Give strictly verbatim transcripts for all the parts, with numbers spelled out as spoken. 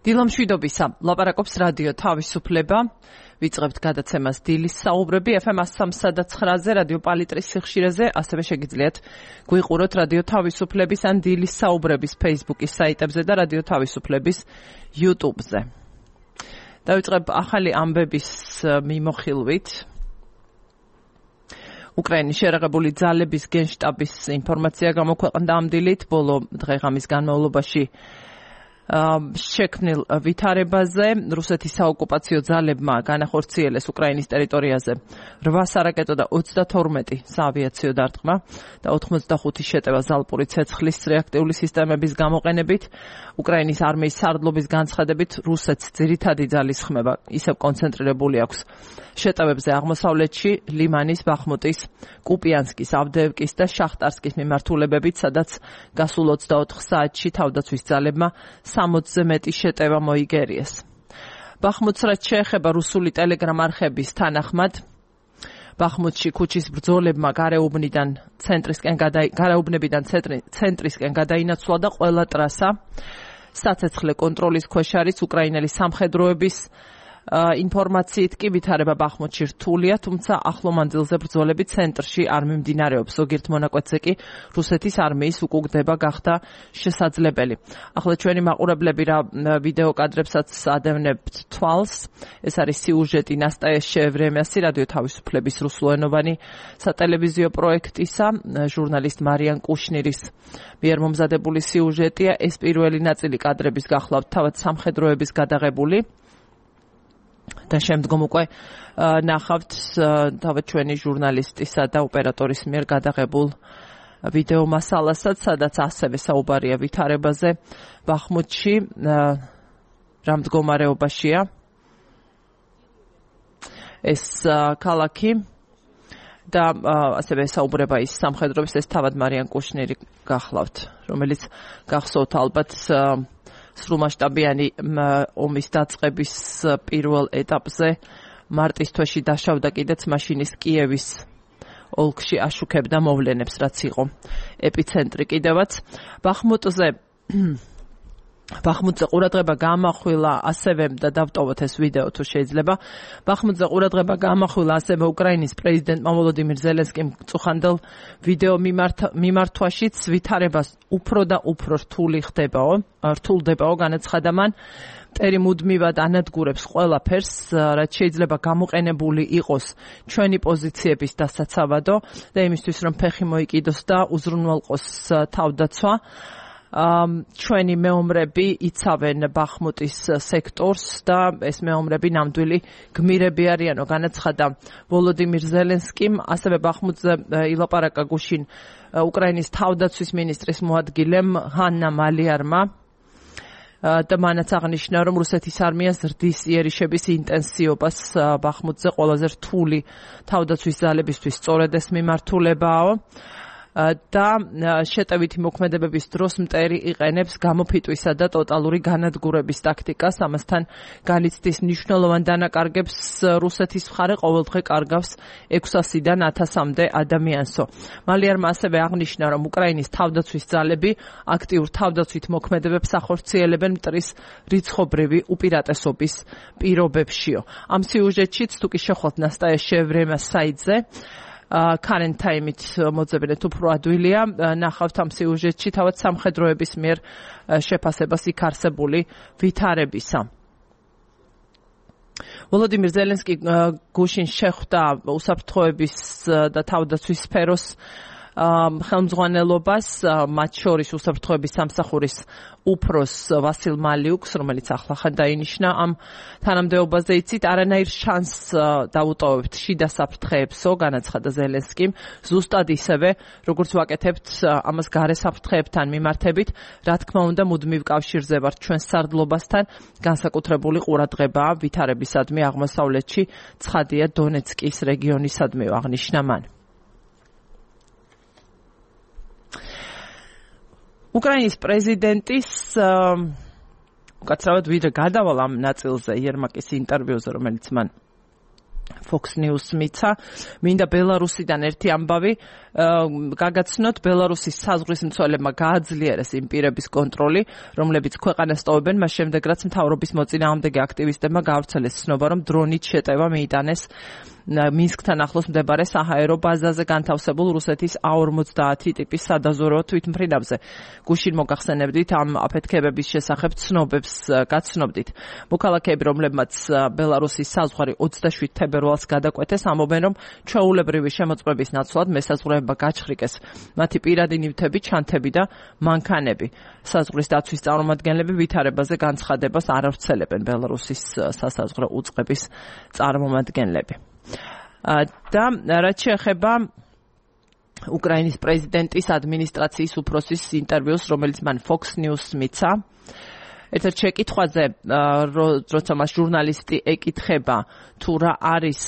დილამშვიდობისა, ლაპარაკობს რადიო თავისუფლება. ვიწყებთ გადაცემას დილის საუბრები ეფ ემ სამი და ცხრაზე რადიო პალიტრის სიხშირეზე, ასევე შეგიძლიათ გვიყუროთ რადიო თავისუფლების ან დილის საუბრების Facebook-ის საიტებზე და რადიო თავისუფლების YouTube-ზე. დავიწყებ ახალი ამბების მიმოხილვით. უკრაინის შერაღებული ძალების გენშტაბის ინფორმაცია გამოქვეყნდა ამ დილით, ბოლო დღე-ღამის განმავლობაში შექმნილ ვითარებაზე. რუსეთის საოკუპაციო ძალებმა განახორციელეს უკრაინის ტერიტორიაზე რვა სარაკეტო და ოცდათორმეტი საავიაციო დარტყმა და ოთხმოცდახუთი შეტევა ზალპური ცეცხლის რეაქტიული სისტემების გამოყენებით. უკრაინის არმიის სარდლობის განცხადებით, რუსეთს ძირითადი ძალის ხმება ისევ კონცენტრირებული აქვს შეტევებზე აღმოსავლეთში, ლიმანის, ბახმუტის, კუპიანსკის, ავდეევკის და შახტარსკის მიმართულებებით, სადაც გასულ ოცდაოთხ საათში თავდაცვის ძალებმა სამოცზე მეტი შეტევა მოიგერიეს. ბახმუტს რაც შეეხება რუსული ტელეგრამ არხების თანახმად, ბახმუტში ქუჩის ბრძოლებმა გარეუბნიდან ცენტრისკენ გარეუბნებიდან ცენტრისკენ გადაინაცვლა და ყველა ტრასა საცეცხლე კონტროლის ქვეშ არის. უკრაინელი სამხედროების ინფორმაციით კი ვითარება ბახმუტში რთულია, თუმცა ახლო მანძილზე ბრძოლები ცენტრში არ მიმდინარეობს. ზოგიერთ მონაკვეთზე კი რუსეთის არმიის უკუგდება გახდა შესაძლებელი. ახლა ჩვენი მაყურებლები რა ვიდეო კადრებსაც ადევნებთ თვალს. ეს არის სიუჟეტი ნასტაია შეევრემიასი რადიო თავისუფლების რუსულენოვანი სატელევიზიო პროექტისა, ჟურნალისტ მარიან კუშნირის მიერ მომზადებული სიუჟეტია. ეს პირველი ნაწილი კადრების გახლავთ თავად სამხედროების გადაღებული. და შემდგომ უკვე ნახავთ თავად ჩვენი ჟურნალისტისა და ოპერატორის მიერ გადაღებულ ვიდეო მასალასაც, სადაც ასევე საუბარია ვითარებაზე ბახმუტში, რა მდგომარეობაშია ეს ქალაქი და ასევე საუბრება ის სამხედროების, ეს თავად მარიან კუშნირი გახლავთ, რომელიც გახსოვთ ალბათ სრულმასშტაბიანი ომის დაწყების პირველ ეტაპზე მარტის თვეში დაშავდა კიდეც მაშინის კიევის ოლქში აშუქებდა მოვლენებს, რაც იყო ეპიცენტრი კიდევაც. ბახმუტზე ბახმუტზე ყურადღება გამახვილა ასევე და დავტოვოთ ეს ვიდეო თუ შეიძლება. ბახმუტზე ყურადღება გამახვილა ასევე უკრაინის პრეზიდენტმა ვოლოდიმირ ზელენსკიმ წუხანდელ ვიდეო მიმართვაშიც ვითარებას უფრო და უფრო რთული ხდებაო, რთულდებაო, განაცხადა მან. მტერი მუდმივად ანადგურებს ყველაფერს, რაც შეიძლება გამოყენებული იყოს ჩვენი პოზიციების დასაცავადო და იმისთვის რომ ფეხი მოიკიდოს და უზრუნველყოს თავდაცვა. ჩვენი მეომრები იცავენ ბახმუტის სექტორს და ეს მეომრები ნამდვილი გმირები არიანო, განაცხადა ვოლოდიმირ ზელენსკიმ. ასევე ბახმუტზე ილაპარაკა გუშინ უკრაინის თავდაცვის მინისტრის მოადგილემ ჰანნა მალიარმა და მანაც აღნიშნა, რომ რუსეთის არმია ზრდის იერიშების ინტენსივობას ბახმუტზე ყველაზე რთული თავდაცვის ძალებისთვის სწორედ ეს მიმართულებაო. და შეტევითი მოქმედებების დროს მტერი იყენებს გამოფიტვისა და ტოტალური განადგურების ტაქტიკას. ამასთან განიცდის მნიშვნელოვან დანაკარგებს რუსეთის მხარე ყოველდღე კარგავს ექვსასიდან ათასამდე ადამიანსო. მალიარმა ასევე აღნიშნა, რომ უკრაინის თავდაცვის ძალები აქტიურ თავდაცვით მოქმედებებს ახორციელებენ მტრის რიცხობრივი უპირატესობის პირობებშიო. ამ სიუჟეტშიც თუ კი შეხვალთ ნასტაია შეევრემიას საიტზე, current time-ით მოძებნეთ უფრო ადვილია, ნახავთ ამ სიუჟეტში თავად სამხედროების მიერ შეფასებას იქ არსებული ვითარებისა. ვოლოდიმირ ზელენსკი გუშინ შეხვდა უსაფრთხოების და თავდაცვის სფეროს ხელმძღვანელობას, მათ შორის უსაფრთხოების სამსახურის უფროს ვასილ მალიუკს, რომელიც ახლახან დაინიშნა ამ თანამდებობაზე. იცით, არანაირ შანსს დაუტოვებთ შიდა საფრთხეებსო, განაცხადა ზელენსკიმ. ზუსტად ისევე, როგორც ვაკეთებთ ამას გარე საფრთხეებთან მიმართებით, რა თქმა უნდა, მუდმივ კავშირზე ვართ ჩვენ სარდლობასთან, განსაკუთრებული ყურადღებაა ვითარებისადმი აღმოსავლეთში, ცხადია დონეცკის რეგიონისადმი, აღნიშნა მან. უკრაინის პრეზიდენტის უკაცრავად ვიდრე გადავალ ამ ნაწილზე იერმაკის ინტერვიუზე, რომელიც მან Fox News მიცა. მინდა ბელარუსიდან ერთი ამბავი გაგაცნოთ. ბელარუსის საზღვრის მცველებმა გააძლიერეს იმ პირების კონტროლი, რომლებიც ქვეყანას ტოვებენ, მას შემდეგ რაც მთავრობის მოწინააღმდეგე აქტივისტებმა გაავრცელეს ცნობა, რომ დრონით შეტევა მიიტანეს მინსკთან ახლოს მდებარე საჰაერო ბაზაზე განთავსებულ რუსეთის A ორმოცდაათი ტიპის სადაზვერვო თვითმფრინავზე. გუშინ მოგახსენებდით ამ აფეთქებების შესახებ ცნობებს გაცნობდით. მოქალაქეები, რომლებმაც ბელარუსის საზღვარი ოცდაშვიდ თებერვალს გადაკვეთეს, ამბობენ, რომ ჩვეულებრივი შემოწმების ნაცვლად მესაზღვრეებმა გაჩხრიკეს მათი პირადი ნივთები, ჩანთები და მანქანები. საზღვრის დაცვის წარმომადგენლები ვითარებაზე განცხადებას არ ავრცელებენ ბელარუსის სასაზღვრო უწყების წარმომადგენლები. და რაც შეეხება უკრაინის პრეზიდენტის ადმინისტრაციის უფროსის ინტერვიუს, რომელიც მან Fox News მიცა, ერთ-ერთ შეკითხვაზე, როცა მას ჟურნალისტი ეკითხება, თუ რა არის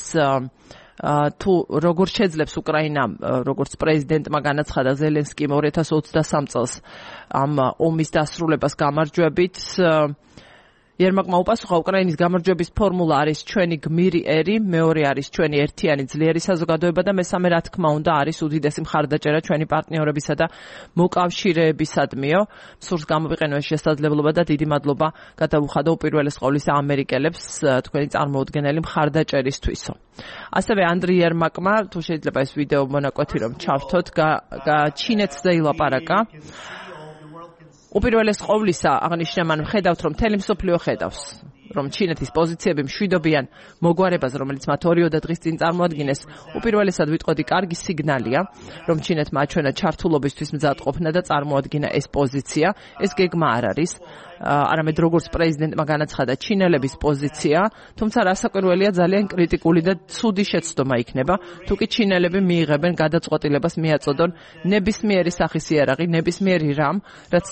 თუ როგორ შეძლებს უკრაინა, როგორც პრეზიდენტმა განაცხადა ზელენსკიმ ორი ათას ოცდასამ წელს ამ ომის დასრულებას გამარჯვებით, იერმაკმა უპასუხა, უკრაინის გამარჯვების ფორმულა არის ჩვენი გმირი ერი, მეორე არის ჩვენი ერთიანი ძლიერი საზოგადოება და მესამე, რა თქმა უნდა, არის უდიდესი მხარდაჭერა ჩვენი პარტნიორებისა და მოკავშირეებისადმიო. სურს გამოვიყენო ეს შესაძლებლობა და დიდი მადლობა გადავუხადო უპირველეს ყოვლისა ამერიკელებს თქვენი წარმოუდგენელი მხარდაჭერისთვისო. ასევე ანდრი იერმაკმა, თუ შეიძლება ეს ვიდეო მონაკვეთი რომ ჩავთოთ, ჩინეთზე ილაპარაკა. უპირველეს ყოვლისა აღნიშნა მან, ხედავთ, რომ მთელი მსოფლიო ხედავს, რომ ჩინეთის პოზიციები მშვიდობიან მოგვარებას, რომელიც მათ ორიოდე დღის წინ წარმოადგინეს, უპირველესად ვიტყოდი კარგი სიგნალია, რომ ჩინეთმა აჩვენა ჩართულობისთვის მზადყოფნა და წარმოადგინა ეს პოზიცია. ეს გეგმა არ არის, არამედ როგორც პრეზიდენტმა განაცხადა, ჩინელების პოზიცია, თუმცა რასაკვირველია, ძალიან კრიტიკული და ცუდი შეცდომა იქნება, თუ კი ჩინელები მიიღებენ გადაწყვეტილებას მიაწოდონ ნებისმიერი სახის იარაღი, ნებისმიერი რამ, რაც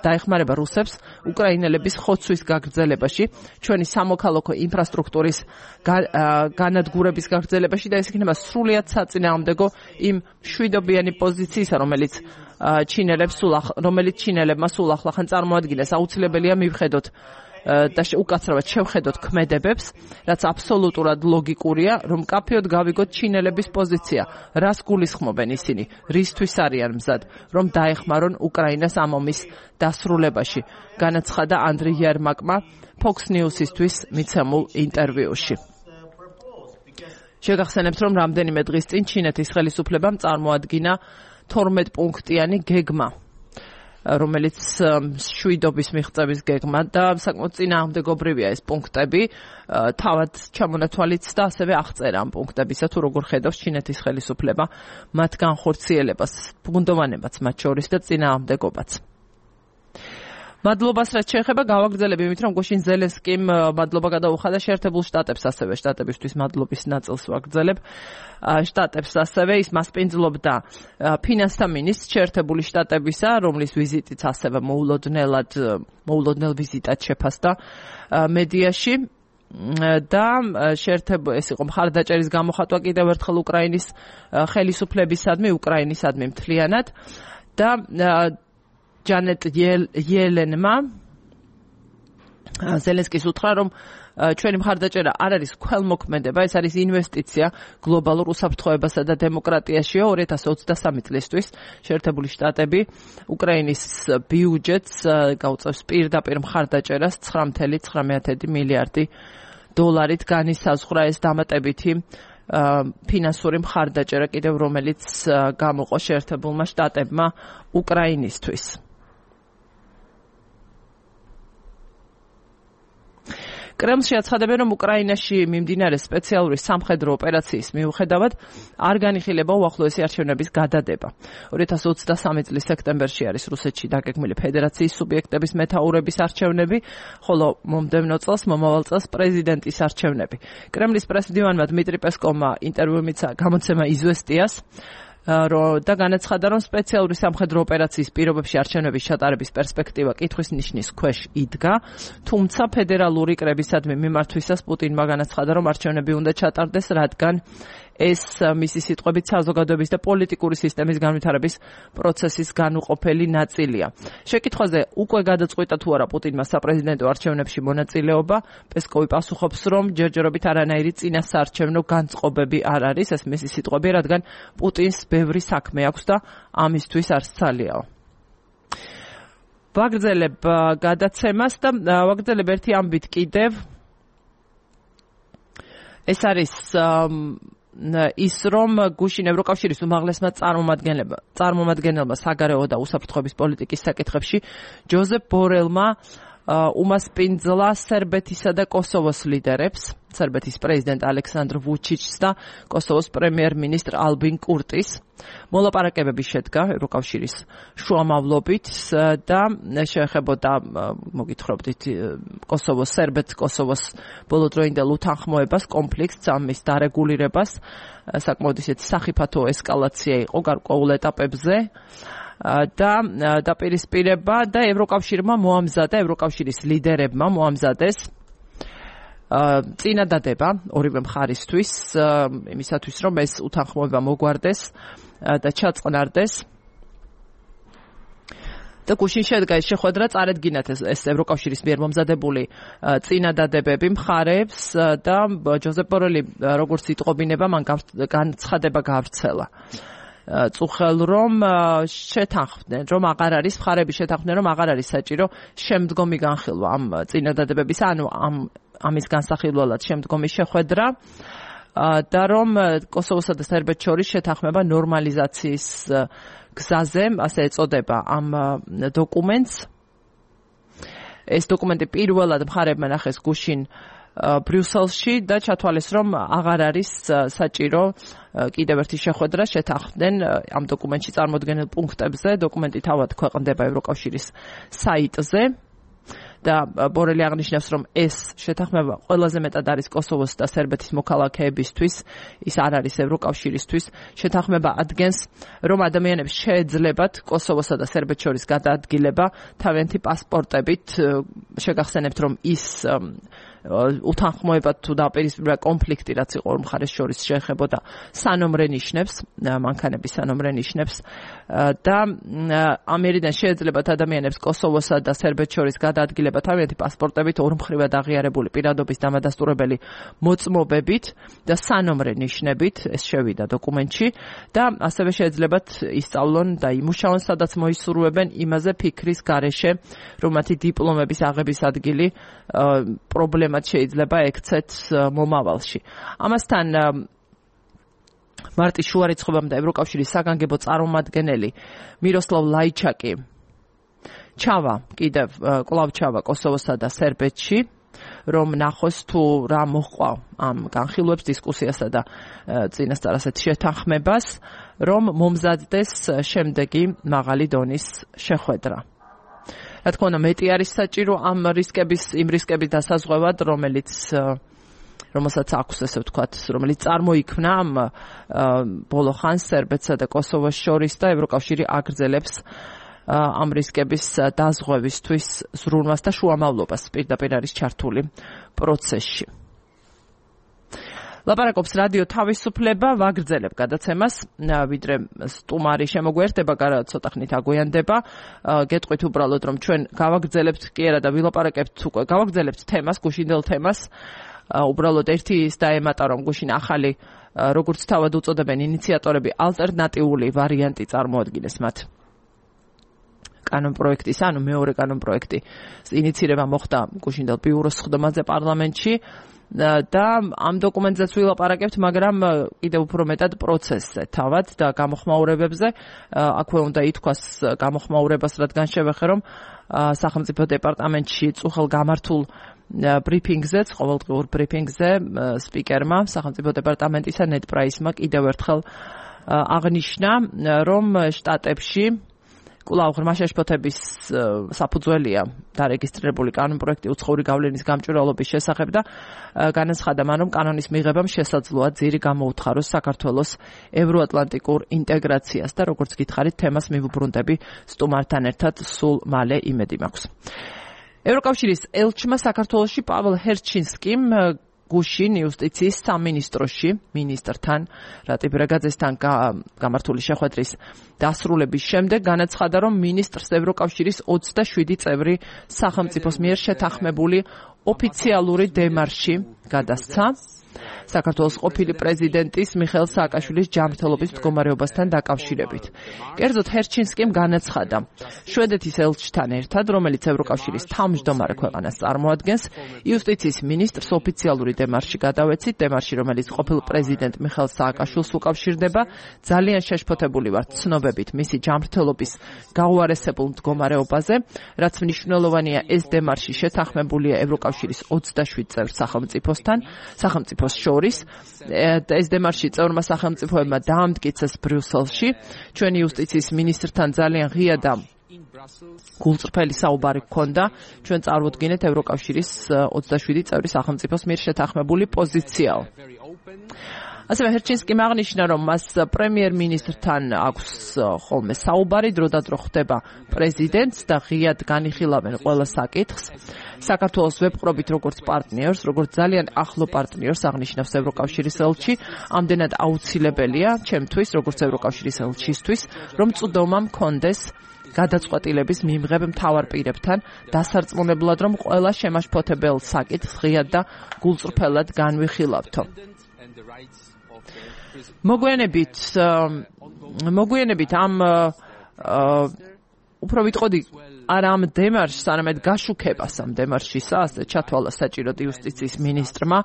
დაეხმარება რუსებს უკრაინელების ხოცვის გაგრძელებაში, ჩვენი სამოქალაქო ინფრასტრუქტურის განადგურების გაგრძელებაში და ეს იქნება სრულიად საწინააღმდეგო იმ მშვიდობიანი პოზიციისა, რომელიც ჩინელებს სულ რომელიც ჩინელებმა სულ ახლახან წარმოადგინეს. აუცილებელია მივხედოთ და უკაცრავად შევხედოთ ქმედებებს, რაც აბსოლუტურად ლოგიკურია, რომ კაფეოდ გავიგოთ ჩინელების პოზიცია, რას გულისხმობენ ისინი, რისთვის არიან მზად, რომ დაეხმარონ უკრაინას ამ ომის დასრულებაში, განაცხადა ანდრი იერმაკმა Fox News-ისთვის მიცემულ ინტერვიუში. შეგახსენებთ, რომ რამდენიმე დღის წინ ჩინეთის ხელისუფლებამ წარმოადგინა თორმეტ პუნქტიანი გეგმა, რომელიც შვიდობის მიღწევის გეგმა და საკმაოდ წინააღმდეგობრივია ეს პუნქტები, თავად ჩამონათვალიც და ასევე აღწერა ამ პუნქტებისა, თუ როგორ ხედავს ჩინეთის ხელისუფლება მათ განხორციელებას, ბუნდოვანებაც მათ შორის და წინააღმდეგობაც. მადლობას რაც შეეხება გავაგრძელებ იმით, რომ გუშინ ზელენსკიმ მადლობა გადაუხადა შეერთებულ შტატებს, ასევე შტატებისთვის მადლობის ნაწილს ვაგრძელებ. შტატებს ასევე ის მასპინძლობდა ფინანსთა მინისტრს შეერთებული შტატებისა, რომლის ვიზიტიც ასევე მოულოდნელად მოულოდნელ ვიზიტად შეფასდა მედიაში და შეერთებულ ეს იყო მხარდაჭერის გამოხატვა კიდევ ერთხელ უკრაინის ხელისუფლებისადმი, უკრაინისადმი მთლიანად და ჯანეტ იელენმა ზელენსკის უთხრა, რომ ჩვენი მხარდაჭერა არ არის ქველმოქმედება, ეს არის ინვესტიცია გლობალურ უსაფრთხოებასა და დემოკრატიაშიო. ორი ათას ოცდასამი წლისთვის შეერთებული შტატები უკრაინის ბიუჯეტს გაუწევს პირდაპირ მხარდაჭერას ცხრა ცხრამეტი მილიარდი დოლარით განისაზღვრა ეს დამატებითი ფინანსური მხარდაჭერა კიდევ, რომელიც გამოყო შეერთებულმა შტატებმა უკრაინისთვის. კრემლში აცხადებენ, რომ უკრაინაში მიმდინარე სპეციალური სამხედრო ოპერაციის მიუხედავად არ განიხილება უახლოესი არჩევნების გადადება. ორი ათას ოცდასამი წლის სექტემბერში არის რუსეთში დაგეგმილი ფედერაციის სუბიექტების მეთაურების არჩევნები, ხოლო მომდევნო წელს, მომავალ წელს პრეზიდენტის არჩევნები. კრემლის პრესდივანმა დმიტრი პესკოვმა ინტერვიუ მიცა გამოცემა იზვესტიას, და განაცხადა, რომ სპეციალური სამხედრო ოპერაციის პირობებში არჩევნების ჩატარების პერსპექტივა კითხვის ნიშნის ქვეშ იდგა, თუმცა ფედერალური კრებისადმი მიმართვისას პუტინმა განაცხადა, რომ არჩევნები უნდა ჩატარდეს, რადგან ეს მისი სიტყვებით საზოგადოების და პოლიტიკური სისტემის განვითარების პროცესის განუყოფელი ნაწილია. შეკითხვაზე უკვე გადაწყვიტა თუ არა პუტინმა საპრეზიდენტო არჩევნებში მონაწილეობა, პესკოვი პასუხობს, რომ ჯერჯერობით არანაირი წინასაარჩევნო განწყობები არ არის, ეს მისი სიტყვები, რადგან პუტინს ბევრი საქმე აქვს და ამისთვის არც ძალიაო. ვაგრძელებ გადაცემას და ვაგრძელებ ერთი ამბით კიდევ. ეს არის ის, რომ გუშინ ევროკავშირის უმაღლესმა წარმომადგენელმა საგარეო და უსაფრთხოების პოლიტიკის საკითხებში ჯოზეფ ბორელმა უმასპინძლა სერბეთისა და კოსოვოს ლიდერებს, სერბეთის პრეზიდენტ ალექსანდრ ვუჩიჩს და კოსოვოს პრემიერ-მინისტრ ალბინ კურტის. მოლაპარაკებები შედგა ევროკავშირის შუამავლობით და შეეხებოდა, მოგითხრობდით, კოსოვოს სერბეთს, კოსოვოს ბოლოდროინდელ უთანხმოებას, კონფლიქტს, ამის დარეგულირებას, საკმაოდ ისეთი სახიფათო ესკალაცია იყო გარკვეულ ეტაპებზე. და დაპირისპირება და ევროკავშირმა მოამზადა, ევროკავშირის ლიდერებმა მოამზადეს წინადადება ორივე მხარისთვის, იმისათვის, რომ ეს უთანხმოება მოგვარდეს და ჩაწყნარდეს. და გუშინ შედგა ეს შეხვედრა, წარედგინათ ეს ევროკავშირის მიერ მომზადებული წინადადებები მხარეებს და ჯოზეფ ბორელი, როგორც იტყობინება, მან განცხადება გავრცელა. წუხელ რომ შეთანხმდნენ, რომ აღარ არის მხარები შეთანხმდნენ, რომ აღარ არის საჭირო შემდგომი განხილვა ამ წინადადებების, ანუ ამ ამის განსახილველად შემდგომი შეხვედრა და რომ კოსოვოსა და სერბეთს შორის შეთანხმება ნორმალიზაციის გზაზე, ასე ეწოდება ამ დოკუმენტს. ეს დოკუმენტი პირველად მხარებმა ნახეს გუშინ ბრიუსელში და ჩათვალეს, რომ აღარ არის საჭირო კიდევ ერთი შეხვედრა, შეთანხმდნენ ამ დოკუმენტში წარმოდგენილ პუნქტებზე. დოკუმენტი თავად ქვეყნდება ევროკავშირის საიტზე და ბორელი აღნიშნავს, რომ ეს შეთანხმება ყველაზე მეტად არის კოსოვოს და სერბეთის მოქალაქეებისთვის, ის არ არის ევროკავშირისთვის. შეთანხმება ადგენს, რომ ადამიანებს შეეძლებათ კოსოვოსა და სერბეთს შორის გადაადგილება თავიანთი პასპორტებით. შეგახსენებთ, რომ ის უთანხმოება თუ დაპირისპირება კონფლიქტი, რაც იყო ორ მხარეს შორის, შეეხებოდა სანომრე ნიშნებს, მანქანების სანომრე ნიშნებს და ამერიდან შეეძლებათ ადამიანებს კოსოვოსა და სერბეთს შორის გადაადგილება თავიანთი პასპორტებით, ორმხრივად აღიარებული პირადობის დამადასტურებელი მოწმობებით და სანომრე ნიშნებით, ეს შევიდა დოკუმენტში და ასევე შეეძლებათ ისწავლონ და იმუშაონ, სადაც მოისურვებენ იმაზე ფიქრის გარეშე, რომ მათი დიპლომების აღების ადგილი პრობლემა შეიძლება ექცეთ მომავალში. ამასთან მარტის შუარიცხვებამ და ევროკავშირის საგანგებო წარმომადგენელი მიროსლავ ლაიჩაკი ჩავა, კიდევ კვლავ ჩავა კოსოვოსა და სერბეთში, რომ ნახოს თუ რა მოჰყვა ამ განხილვებს, დისკუსიასა და წინასწარ ასეთ შეთანხმებას, რომ მომზადდეს შემდეგი მაღალი დონის შეხვედრა. რა თქმა უნდა, მეტი არის საჭირო ამ რისკების, იმ რისკების დასაზღვევად, რომელიც რომელსაც აქვს, ესე ვთქვათ, რომელიც წარმოიქმნა ამ ბოლო ხანს სერბეთსა და კოსოვოს შორის და ევროკავშირი აგრძელებს ამ რისკების დაზღვევისთვის ზრუნვას და შუამავლობას პირდაპირ არის ჩართული პროცესში. ლაპარაკობს რადიო თავისუფლება, ვაგრძელებ გადაცემას, ვიდრე სტუმარი შემოგვერდება, ცოტა ხნით აგვიანდება. გეტყვით უბრალოდ, რომ ჩვენ გავაგრძელებთ კი არა და ვილაპარაკებთ უკვე, გავაგრძელებთ თემას, გუშინდელ თემას. უბრალოდ ერთი ის დაემატა, რომ გუშინ ახალი, როგორც თავად უწოდებენ ინიციატორები, ალტერნატიული ვარიანტი წარმოადგინეს მათ. კანონპროექტის, ანუ მეორე კანონპროექტი ინიცირება მოხდა გუშინდელ ბიუროს სხდომაზე პარლამენტში. და ამ დოკუმენტზეც ვილაპარაკებთ, მაგრამ კიდევ უფრო მეტად პროცესზე თავად და გამოხმაურებებზე. აქვე უნდა ითქვას გამოხმაურებას, რადგან შევეხე, რომ სახელმწიფო დეპარტამენტში წუხელ გამართულ ბრიფინგზეც, ყოველდღიურ ბრიფინგზე სპიკერმა სახელმწიფო დეპარტამენტისა ნედ პრაისმა კიდევ ერთხელ აღნიშნა, რომ შტატებში კვლავ ღრმა შეშფოთების საფუძველია დარეგისტრირებული კანონპროექტი უცხოური გავლენის გამჭვირვალობის შესახებ და განაცხადა მან, რომ კანონის მიღებამ შესაძლოა ძირი გამოუთხაროს საქართველოს ევროატლანტიკურ ინტეგრაციას და როგორც გითხარით, თემას მივუბრუნდები სტუმართან ერთად სულ მალე, იმედი მაქვს. ევროკავშირის ელჩმა საქართველოში პაվել ჰერჩინსკიმ გუშინ იუსტიციის სამინისტროში მინისტრთან რატიბერაგაძესთან გამართული შეხვედრის დასრულების შემდეგ განაცხადა, რომ მინისტრს ევროკავშირის ოცდაშვიდი წევრი სახელმწიფოს მიერ შეთანხმებული ოფიციალური დემარში გადასცა საქართველოს ყოფილი პრეზიდენტის მიხეილ სააკაშვილის ჯანმრთელობის მდგომარეობასთან დაკავშირებით. კერძოდ ჰერჩინსკიმ განაცხადა, შვედეთის ელჩთან ერთად, რომელიც ევროკავშირის თავმჯდომარე ქვეყანას წარმოადგენს, იუსტიციის მინისტრს ოფიციალური დემარში გადავეცით, დემარში, რომელიც ყოფილ პრეზიდენტ მიხეილ სააკაშვილს უკავშირდება, ძალიან შეშფოთებული ვართ ცნობებით მისი ჯანმრთელობის გაუარესებულ მდგომარეობაზე, რაც მნიშვნელოვანია, ეს დემარში შეთანხმებულია ევროკავშირის ოცდაშვიდ წევრ სახელმწიფოსთან, სახელმწიფოს შორის. ეს დემარში წევრმა სახელმწიფოებმა დაამტკიცეს ბრიუსელში. ჩვენი იუსტიციის მინისტრთან ძალიან ღია და გულწრფელი საუბარი გქონდა. ჩვენ წარვდგინეთ ევროკავშირის ოცდაშვიდი წევრი სახელმწიფოს მიერ შეთანხმებული პოზიციაო. ასევე ჰერჩინსკიმ აღნიშნა, რომ მას პრემიერ-მინისტრთან აქვს ხოლმე საუბარი, დროდადრო ხდება პრეზიდენტს და ღიად განიხილავენ ყველა საკითხს. საქართველოს ვებყრობით როგორც პარტნიორს, როგორც ძალიან ახლო პარტნიორს აღნიშნავს ევროკავშირის ელჩი, ამდენად აუცილებელია ჩემთვის, როგორც ევროკავშირის ელჩისთვის, რომ წვდომა მქონდეს გადაწყვეტილების მიმღებ მთავარ პირებთან, დასარწმუნებლად, რომ ყველა შემაშფოთებელ საკითხს ღიად და გულწრფელად განვიხილავთო. მოგვიანებით მოგვიანებით ამ უფრო ვიტყოდი არა ამ დემარშს, არამედ გაშუქებას ამ დემარშისა, ასე ჩათვალა საჭიროდ იუსტიციის მინისტრმა.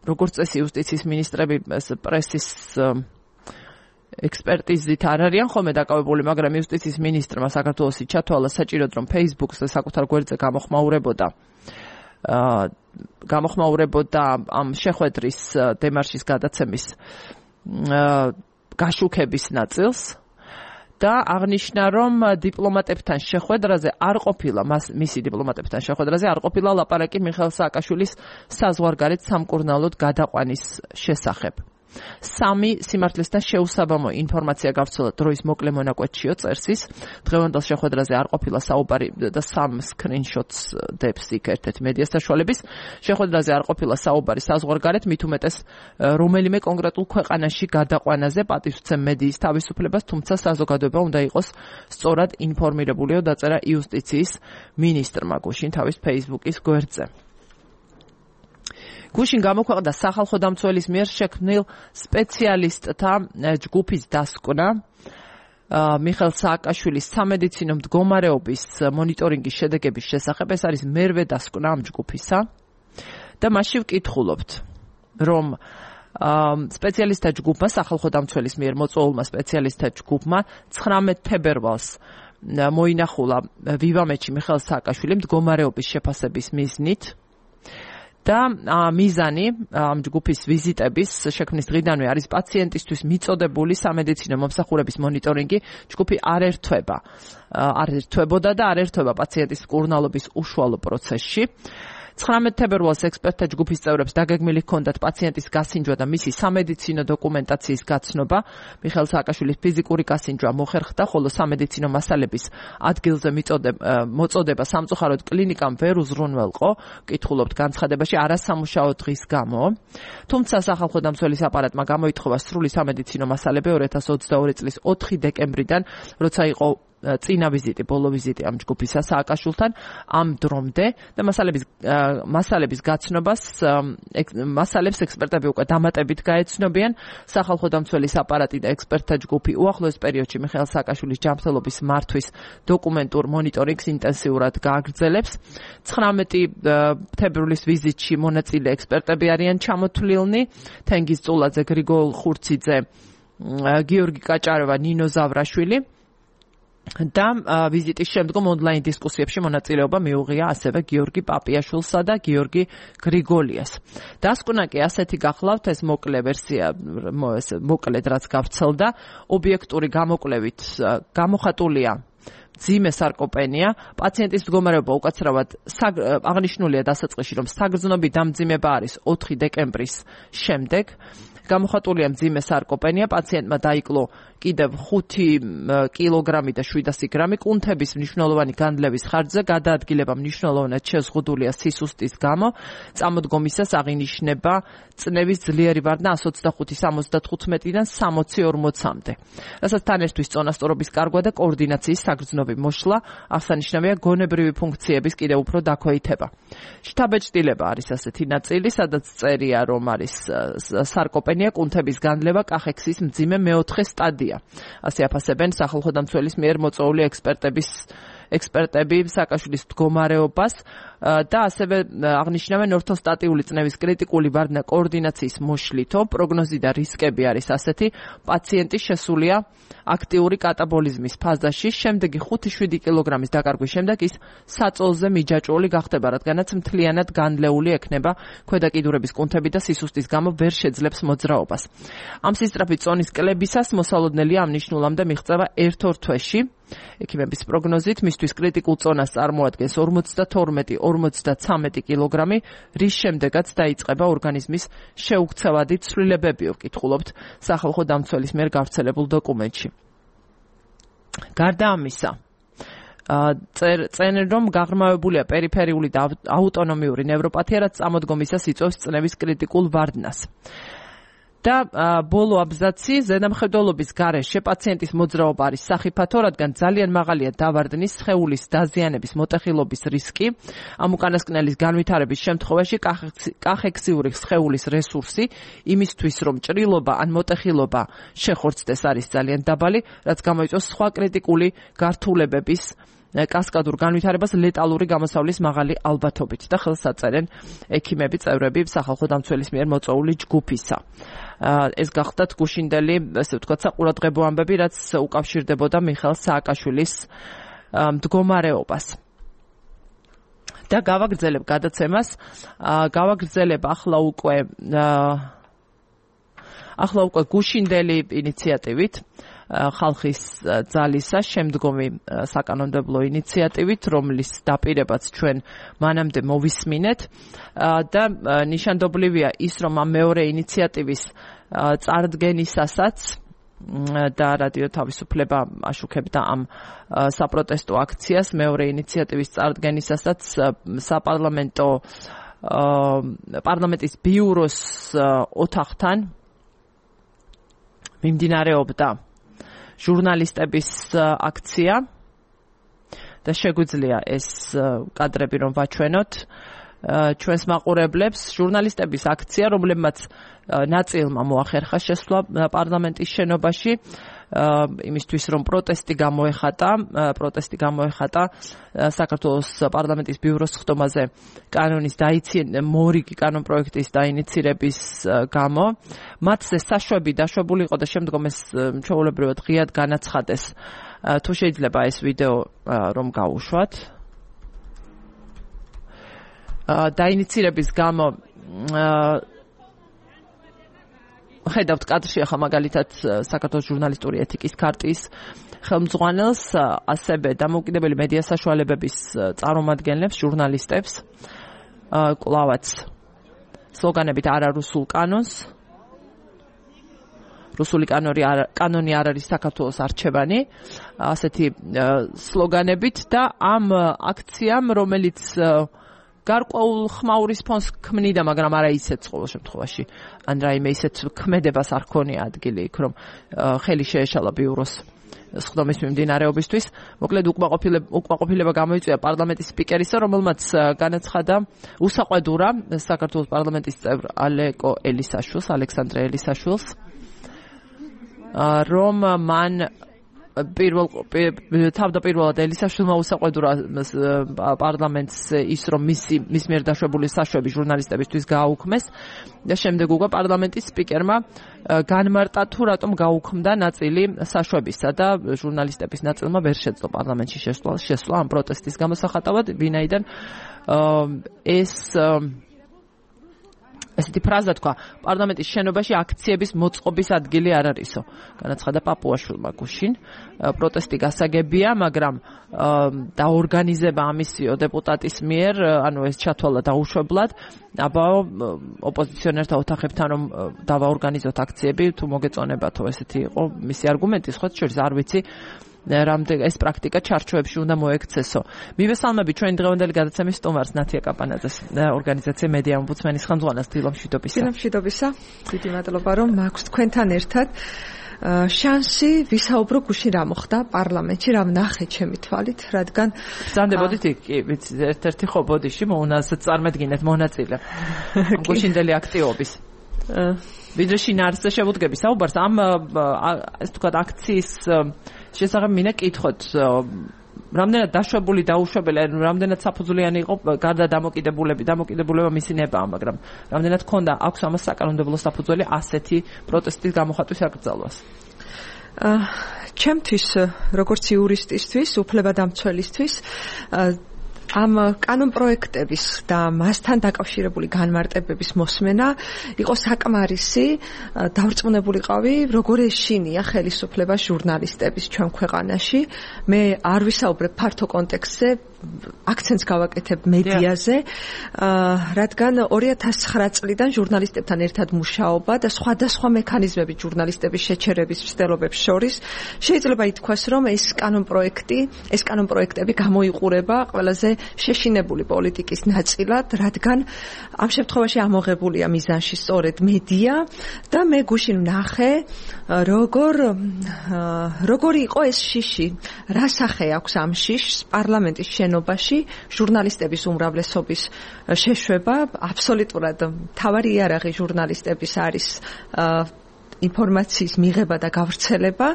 როგორც წესი იუსტიციის მინისტრები პრესის ექსპერტიზით არ არიან ხოლმე დაკავებული, მაგრამ იუსტიციის მინისტრმა საქართველოსი ჩათვალა საჭიროდ, რომ Facebook-ზე საკუთარ გვერდზე გამოხმაურებოდა გამოხმაურებოდა ამ შეხვედრის დემარშის გადაცემის გაშუქების ნაწილს და აღნიშნა, რომ დიპლომატებთან შეხვედრაზე არ ყოფილა, მისი დიპლომატებთან შეხვედრაზე არ ყოფილა ლაპარაკი მიხეილ სააკაშვილის საზღვარგარეთ სამკურნალოდ გადაყვანის შესახებ. სამი სიმართლესთან შეუსაბამო ინფორმაცია გავრცელა დროის მოკლე მონაკვეთშიო წერსის. დღევანდელ შეხვედრაზე არ ყოფილა საუბარი და სამ სკრინშოტს დებს იქ ერთ-ერთი მედია საშუალების. შეხვედრაზე არ ყოფილა საუბარი საზღვარგარეთ, მით უმეტეს რომელიმე კონკრეტულ ქვეყანაში გადაყვანაზე პატივსცემ მედიის თავისუფლებას, თუმცა საზოგადოება უნდა იყოს სწორად ინფორმირებულიო, დაწერა იუსტიციის მინისტრმა გუშინ თავის Facebook-ის გვერდზე. გუშინ გამოქვეყნდა სახალხო დამცველის მიერ შექმნილ სპეციალისტთა ჯგუფის დასკვნა მიხეილ სააკაშვილის სამედიცინო მდგომარეობის მონიტორინგის შედეგების შესახებ. ეს არის მერვე დასკვნა ამ ჯგუფისა და მასში ვკითხულობთ, რომ სპეციალისტთა ჯგუფმა, სახალხო დამცველის მიერ მოწვეულმა სპეციალისტთა ჯგუფმა ცხრამეტ თებერვალს მოინახულა ვივამეთში მიხეილ სააკაშვილი მდგომარეობის შეფასების მიზნით. და მიზანი ამ ჯგუფის ვიზიტების შექმნის დღიდანვე არის პაციენტისთვის მიწოდებული სამედიცინო მომსახურების მონიტორინგი. ჯგუფი არ ერთვება, არ ერთვებოდა და არ ერთვება პაციენტის მკურნალობის უშუალო პროცესში. ცხრამეტ თებერვალს ექსპერტთა ჯგუფის წევრებს დაგეგმილი ჰქონდათ პაციენტის გასინჯვა და მისი სამედიცინო დოკუმენტაციის გაცნობა. მიხეილ სააკაშვილის ფიზიკური გასინჯვა მოხერხდა, ხოლო სამედიცინო მასალების ადგილზე მოწოდება სამწუხაროდ კლინიკამ ვერ უზრუნველყო. კითხულობთ განცხადებაში არასამუშაო დღის გამო. თუმცა სახალხო დამცველის აპარატმა გამოითხოვა სრული სამედიცინო მასალები ორი ათას ოცდაორი წლის ოთხი დეკემბრიდან, როცა იყო წინა ვიზიტი, ბოლო ვიზიტი ამ ჯგუფისა სააკაშვილთან ამ დრომდე და მასალების მასალების გაცნობას მასალებს ექსპერტები უკვე დამატებით გაეცნობიან. სახალხო დამცველის აპარატი და ექსპერტთა ჯგუფი უახლოეს პერიოდში მიხეილ სააკაშვილის ჯანმრთელობის მართვის დოკუმენტურ მონიტორინგს ინტენსიურად გააგრძელებს. ცხრამეტი თებერვლის ვიზიტში მონაწილე ექსპერტები არიან ჩამოთვლილნი: თენგიზ წულაძე, გრიგოლ ხურციძე, გიორგი კაჭაროვა, ნინო ზავრაშვილი. და ვიზიტის შემდგომ ონლაინ დისკუსიებში მონაწილეობა მიუღია ასევე გიორგი პაპიაშვილსა და გიორგი გრიგოლიას. დასკვნა კი ასეთი გახლავთ, ეს მოკლე ვერსია, მოკლედ რაც გავრცელდა, ობიექტური გამოკვლევით გამოხატულია მძიმე სარკოპენია. პაციენტის მდგომარეობა უკაცრავად აღნიშნულია დასაწყისში, რომ საგრძნობი დამძიმება არის ოთხი დეკემბრის შემდეგ. გამოხატულია მძიმე სარკოპენია, პაციენტმა დაიკლო კიდევ ხუთი კილოგრამი და შვიდასი გრამი. კუნთების მნიშვნელოვანი განდლების ხარჯზე გადაადგილება მნიშვნელოვნად შეზღუდულია სისუსტის გამო. წამოდგომისას აღინიშნება წნევის ძლიერი ვარდნა εκατს ოცდახუთი სამოცდათხუთმეტიდან სამოცი ორმოცამდე. რასაც თან ერთვის წონასწორობის კარგვა და კოორდინაციის საგრძნობი მოშლა, აღსანიშნავია გონებრივი ფუნქციების კიდევ უფრო დაქვეითება. შთაბეჭდილება არის ასეთი ნაწილი, სადაც წერია, რომ არის სარკოპენია, კუნთების განდლება, კახექსის მძიმე მეოთხე სტადია. ასე აფასებენ სახალხო დამცველის მიერ მოწვეული ექსპერტების ექსპერტები სააკაშვილის მდგომარეობას და ასევე აღნიშნავენ ორთოსტატიული წნევის კრიტიკული ვარდნა კოორდინაციის მოშლითო, პროგნოზი და რისკები არის ასეთი, პაციენტი შესულია აქტიური კატაბოლიზმის ფაზაში, შემდეგი ხუთი შვიდი კილოგრამის დაკარგვის შემდეგ ის საწოლზე მიჯაჭვული გახდება, რადგანაც მთლიანად განლეული ექნება, ქვედა კიდურების კუნთები და სისუსტის გამო ვერ შეძლებს მოძრაობას. ამ სისწრაფი წონის კლებისას მოსალოდნელია ამ ნიშნულამდე მიღწევა ერთ-ორ თვეში. ექიმების პროგნოზით მისთვის კრიტიკულ წონას წარმოადგენს ორმოცდათორმეტი ორმოცდაცამეტი კილოგრამი, რის შემდეგაც დაიწყება ორგანიზმის შეუქცევადი ცვლილებები, ვკითხულობთ სახალხო დამცველის მიერ გავრცელებულ დოკუმენტში. გარდა ამისა, წერენ, რომ გაღრმავებულია პერიფერიული და აუტონომიური ნევროპათია, რაც წამოდგომისას იწვევს წნევის კრიტიკულ ვარდნას. და ბოლო აბზაცი, ზედამხედველობის გარეშე პაციენტის მოძრაობა არის სახიფათო, რადგან ძალიან მაღალია დავარდნის, სხეულის დაზიანების, მოტეხილობის რისკი. ამ უკანასკნელის განვითარების შემთხვევაში კახექსიური სხეულის რესურსი იმისთვის, რომ ჭრილობა ან მოტეხილობა შეხორცდეს, არის ძალიან დაბალი, რაც გამოიწვევს სხვა კრიტიკული გართულებების კასკადურ განვითარებას ლეტალური გამოსავლის მაღალი ალბათობით და ხელს აწერენ ექიმები, წევრები სახალხო დამცველის მიერ მოწვეული ჯგუფისა. ეს გახდათ გუშინდელი, ესე ვთქვათ, საყურადღებო ამბები, რაც უკავშირდებოდა მიხეილ სააკაშვილის მდგომარეობას. და გავაგრძელებ გადაცემას, გავაგრძელებ ახლა უკვე ახლა უკვე გუშინდელი ინიციატივით, ხალხის ძალისა შემდგომი საკანონმდებლო ინიციატივით, რომლის დაპირებაც ჩვენ მანამდე მოვისმინეთ და ნიშანდობლივია ის, რომ ამ მეორე ინიციატივის წარდგენისასაც და რადიო თავისუფლება აშუქებდა ამ საპროტესტო აქციას, მეორე ინიციატივის წარდგენისასაც საპარლამენტო პარლამენტის ბიუროს ოთახთან მიმდინარეობდა ჟურნალისტების აქცია და შეგვიძლია ეს კადრები რომ ვაჩვენოთ ჩვენს მაყურებლებს. ჟურნალისტების აქცია, რომლებმაც ნაწილმა მოახერხა შესვლა პარლამენტის შენობაში, იმისთვის რომ პროტესტი გამოეხატა, პროტესტი გამოეხატა საქართველოს პარლამენტის ბიუროს ხდომაზე კანონის დაიციან მორიგი კანონპროექტის დაინიცირების გამო. მათზე საშვები დაშვებული იყო და შემდგომ ეს ჩვეულებრივად ღიად განაცხადეს. თუ შეიძლება ეს ვიდეო რომ გავუშვათ. დაინიცირების გამო ხედავთ კადრში ახლა მაგალითად საქართველოს ჟურნალისტური ეთიკის ქარტიის ხელმძღვანელს, ასევე დამოუკიდებელი მედია საშუალებების წარმომადგენლებს, ჟურნალისტებს, კვლავაც სლოგანებით არა რუსულ კანონს, რუსული კანონი არ კანონი არ არის საქართველოს არჩევანი, ასეთი სლოგანებით და ამ აქციამ, რომელიც გარკვეულ ხმაურის ფონს ქმნიდა, მაგრამ არა ისეთ ყოველ შემთხვევაში, ან რაიმე ისეთ ქმედებას არ ქონია ადგილი იქ, რომ ხელი შეეშალა ბიუროს სხდომის მიმდინარეობისთვის. მოკლედ უკმაყოფილება გამოიწვია პარლამენტის სპიკერისა, რომელმაც განაცხადა უსაყვედურა საქართველოს პარლამენტის წევრ ალეკო ელისაშვილს, ალექსანდრე ელისაშვილს, რომ მან პირველ თავდაპირველად ელისაშვილმა უსაყვედურა პარლამენტს ის, რომ მისი მის მიერ დაშვებული საშვები ჟურნალისტებისთვის გააუქმეს და შემდეგ უკვე პარლამენტის სპიკერმა განმარტა თუ რატომ გაუქმდა ნაწილი საშვებისა და ჟურნალისტების ნაწილმა ვერ შეძლო პარლამენტში შესვლა შესვლა ამ პროტესტის გამოსახატავად, ვინაიდან ეს ესეთი ფრაზა თქვა, პარლამენტის შენობაში აქციების მოწყობის ადგილი არ არისო. განაცხადა პაპუაშვილმა გუშინ. პროტესტი გასაგებია, მაგრამ დაორგანიზება ამისიო დეპუტატის მიერ, ანუ ეს ჩათვალა დაუშვებლად. აბაო ოპოზიციონერთა ოთახებთან რომ დავაორგანიზოთ აქციები, თუ მოგეწონებათო, ესეთი იყო მისი არგუმენტი, სხვა შორის არ ვიცი. რამდენ ეს პრაქტიკა ჩარჩოებში უნდა მოექცესო. მივესალმები ჩვენ დღევანდელი გადაცემის სტუმარს ნათია კაპანაძეს, ორგანიზაცია მედია ომბუდსმენის ხელმძღვანელს დილა მშვიდობისა. დილა მშვიდობისა. დიდი მადლობა რომ მაქვს თქვენთან ერთად შანსი ვისაუბრო გუშინ რა მოხდა პარლამენტში, რა ვნახე ჩემი თვალით, რადგან ზანდებოდით კი, ვიცი, ერთ-ერთი ხო ბოდიში მოუნასაც წარმედგინეთ მონაწილე. გუშინდელი აქტივობის. ვიდრე შინაარსზე შევუდგები საუბარს ამ ეს თქვა აქციის შესახებ მინდა კითხოთ რამდენად დაშვებული დაუშვებელი რამდენად საფუძვლიანი იყო გარდა დამოკიდებულების დამოკიდებულება მისი ნებაა მაგრამ რამდენად ქონდა აქვს ამას საკანონმდებლო საფუძველი ასეთი პროტესტის გამოხატვის აკრძალვას ჩემთვის როგორც იურისტისთვის უფლებადამცველისთვის ამ კანონპროექტების და მასთან დაკავშირებული განმარტებების მოსმენა იყო საკმარისი დავრწმუნებულიყავი როგორ ეშინია ხელისუფლება ჟურნალისტების ჩვენ ქვეყანაში მე არ ვისაუბრებ ფართო კონტექსტზე აქცენტს გავაკეთებ მედიაზე რადგან ორი ათას ცხრა წლიდან ჟურნალისტებთან ერთად მუშაობა და სხვადასხვა მექანიზმები ჟურნალისტების შეჩერების მცდელობებს შორის შეიძლება ითქვას რომ ეს კანონპროექტი ეს კანონპროექტები გამოიყურება ყველაზე შეშინებული პოლიტიკის ნაწილად, რადგან ამ შემთხვევაში ამოღებულია მიზანში სწორედ მედია და მე გუშინ ვნახე, როგორ როგორი იყო ეს შიში, რა სახე აქვს ამ შიშს პარლამენტის შენობაში ჟურნალისტების უმრავლესობის შეშვება, აბსოლუტურად მთავარი იარაღი ჟურნალისტების არის ინფორმაციის მიღება და გავრცელება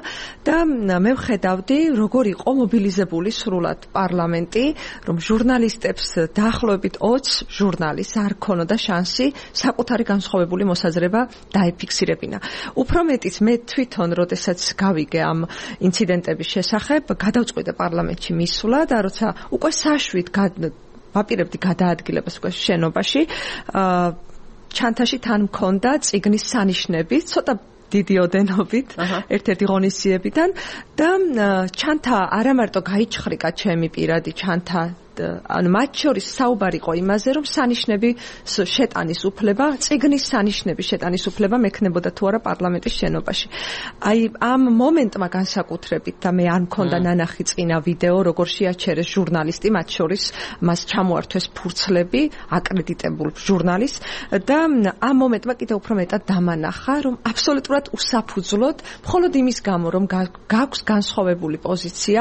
და მე ვხედავდი როგორ იყო მობილიზებული სრულად პარლამენტი რომ ჟურნალისტებს დაახლოებით ოცი ჟურნალისტს არ ქონოდა შანსი საკუთარი განსხვავებული მოსაზრება დაეფიქსირებინა. Უფრო მეტიც მე თვითონ როდესაც გავიგე ამ ინციდენტების შესახებ გადავწყვიტე პარლამენტში მისვლა და როცა უკვე საშვით ვაპირებდი გადაადგილებას უკვე შენობაში ჩანთაში თან მქონდა წიგნის სანიშნები ცოტა დიდი ოდენობით ერთ-ერთი ღონისძიებიდან და ჩანთა არა მარტო გაიჩხრიკა ჩემი პირადი ჩანთა ან მათ შორის საუბარი იყო იმაზე რომ სანიშნები შეტანის უფლება წიგნის სანიშნები შეტანის უფლება მექნებოდა თუ არა პარლამენტის შენობაში აი ამ მომენტმა განსაკუთრებით და მე არ მქონდა ნანახი წინა ვიდეო როგორ შეაჩერეს ჟურნალისტი მათ შორის მას ჩამოართვეს ფურცლები აკრედიტებულ ჟურნალისტს და ამ მომენტმა კიდევ უფრო მეტად დამანახა რომ აბსოლუტურად უსაფუძვლოდ მხოლოდ იმის გამო რომ გაქვს განსხვავებული პოზიცია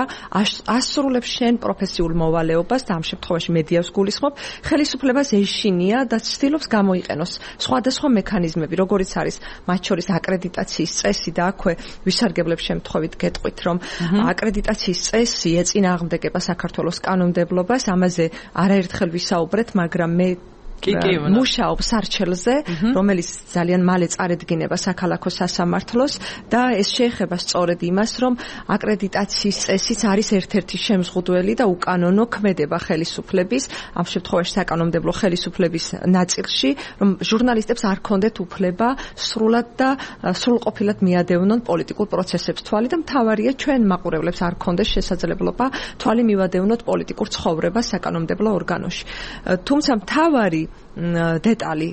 ასრულებს შენ პროფესიულ მოვალეობას და ამ შემთხვევაში მედიას გულისხმობ, ხელისუფლებას ეშინია და ცდილობს გამოიყენოს სხვადასხვა მექანიზმები, როგორიც არის მათ შორის აკრედიტაციის წესი და აქვე ვისარგებლებ შემთხვევით გეტყვით, რომ აკრედიტაციის წესი ეწინააღმდეგება საქართველოს კანონმდებლობას, ამაზე არაერთხელ ვისაუბრეთ, მაგრამ მე მუშაობს არჩელზე, რომელიც ძალიან მალე წარედგინება საქალაქო სასამართლოს და ეს შეეხება სწორედ იმას, რომ აკრედიტაციის წესიც არის ერთ-ერთი შემზღუდველი და უკანონო ქმედება ხელისუფლების, ამ შემთხვევაში საკანონმდებლო ხელისუფლების ნაწილში, რომ ჟურნალისტებს არ ქონდეთ უფლება სრულად და სრულყოფილად მიადევნონ პოლიტიკურ პროცესებს თვალი და მთავარია ჩვენ მაყურებლებს არ ქონდეს შესაძლებლობა თვალი მივადევნოთ პოლიტიკურ ცხოვრებას საკანონმდებლო ორგანოში. თუმცა მთავარი დეტალი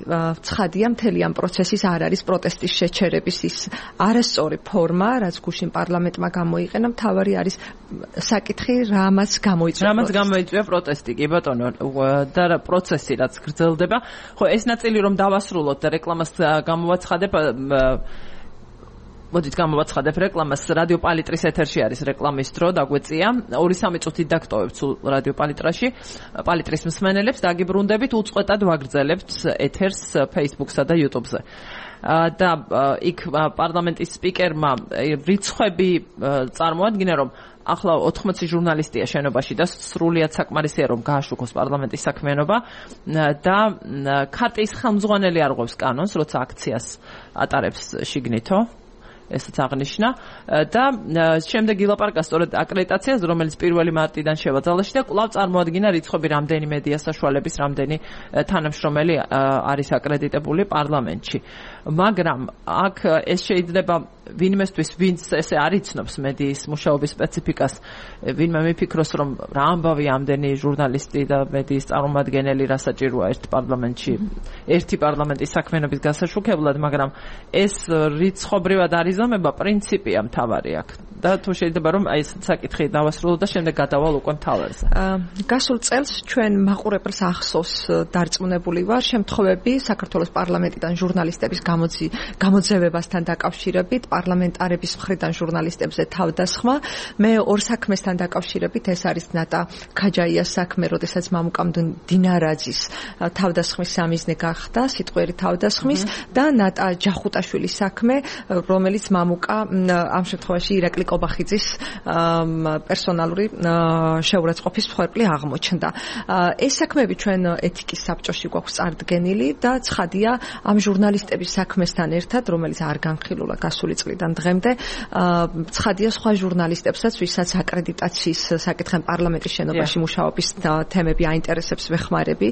ცხადია მთელი ამ პროცესის არ არის პროტესტის შეჩერების ის არასწორი ფორმა, რაც გუშინ პარლამენტმა გამოიყენა, მთავარი არის საკითხი, რამაც გამოიწვია რამაც გამოიწვია პროტესტი, კი ბატონო, და პროცესი რაც გრძელდება. ხო, ეს ნაწილი რომ დავასრულოთ და რეკლამას გამოვაცხადებ მოდით გამოვაცხადებ რეკლამას რადიო პალიტრის ეთერში არის რეკლამის დრო დაგვეწია ორი სამი წუთით დაგტოვებთ სულ რადიო პალიტრაში პალიტრის მსმენელებს დაგიბრუნდებით უწყვეტად ვაგრძელებთ ეთერს Facebook-სა და YouTube-ზე და იქ პარლამენტის სპიკერმა რიცხვები წარმოადგინა რომ ახლა ოთხმოცი ჟურნალისტია შენობაში და სრულიად საკმარისია რომ გააშუქოს პარლამენტის საქმიანობა და ქარტიის ხელმძღვანელი არღვევს კანონს როცა აქციას ატარებს შიგნითო ესაც აღნიშნა და შემდეგ ილაპარაკა სწორედ აკრედიტაციაზე, რომელიც პირველი მარტიდან შევაძალაში და კვლავ წარმოადგინა რიცხვები რამდენი მედია საშუალების, რამდენი თანამშრომელი არის აკრედიტებული პარლამენტში. მაგრამ აქ ეს შეიძლება ვინმესთვის, ვინც ესე არ იცნობს მედიის მუშაობის სპეციფიკას, ვინმე მიფიქროს, რომ რა ამბავი ამდენი ჟურნალისტი და მედიის წარმომადგენელი რა საჭიროა ერთ პარლამენტში, ერთი პარლამენტის საქმიანობის გასაშუქებლად, მაგრამ ეს რიცხობრივად არიზომება პრინციპია მთავარი აქ. და თუ შეიძლება რომ აი ეს საკითხი დავასრულო და შემდეგ გადავალ უკვე მთავარზე. გასულ წელს ჩვენ მაყურებელს ახსოვს დარწმუნებული ვარ შემთხვევები საქართველოს პარლამენტიდან ჟურნალისტების გამოძევებასთან დაკავშირებით, პარლამენტარების მხრიდან ჟურნალისტებზე თავდასხმა. მე ორ საქმესთან დაკავშირებით, ეს არის ნატა ქაჯაიას საქმე, როდესაც მამუკა დინარაძის თავდასხმის სამიზნე გახდა, სიტყვიერი თავდასხმის და ნატა ჯახუტაშვილის საქმე, რომელიც მამუკა ამ შემთხვევაში ირაკლი კობახიძის პერსონალური შეურაცხყოფის მსხვერპლი აღმოჩნდა. ეს საქმეები ჩვენ ეთიკის საბჭოში გვაქვს წარდგენილი და ცხადია ამ ჟურნალისტების საქმესთან ერთად, რომელიც არ განხილულა გასული წლიდან დღემდე, ცხადია სხვა ჟურნალისტებსაც, ვისაც აკრედიტაციის საკითხენ პარლამენტის შენობაში მუშაობის თემები აინტერესებს ვეხმარები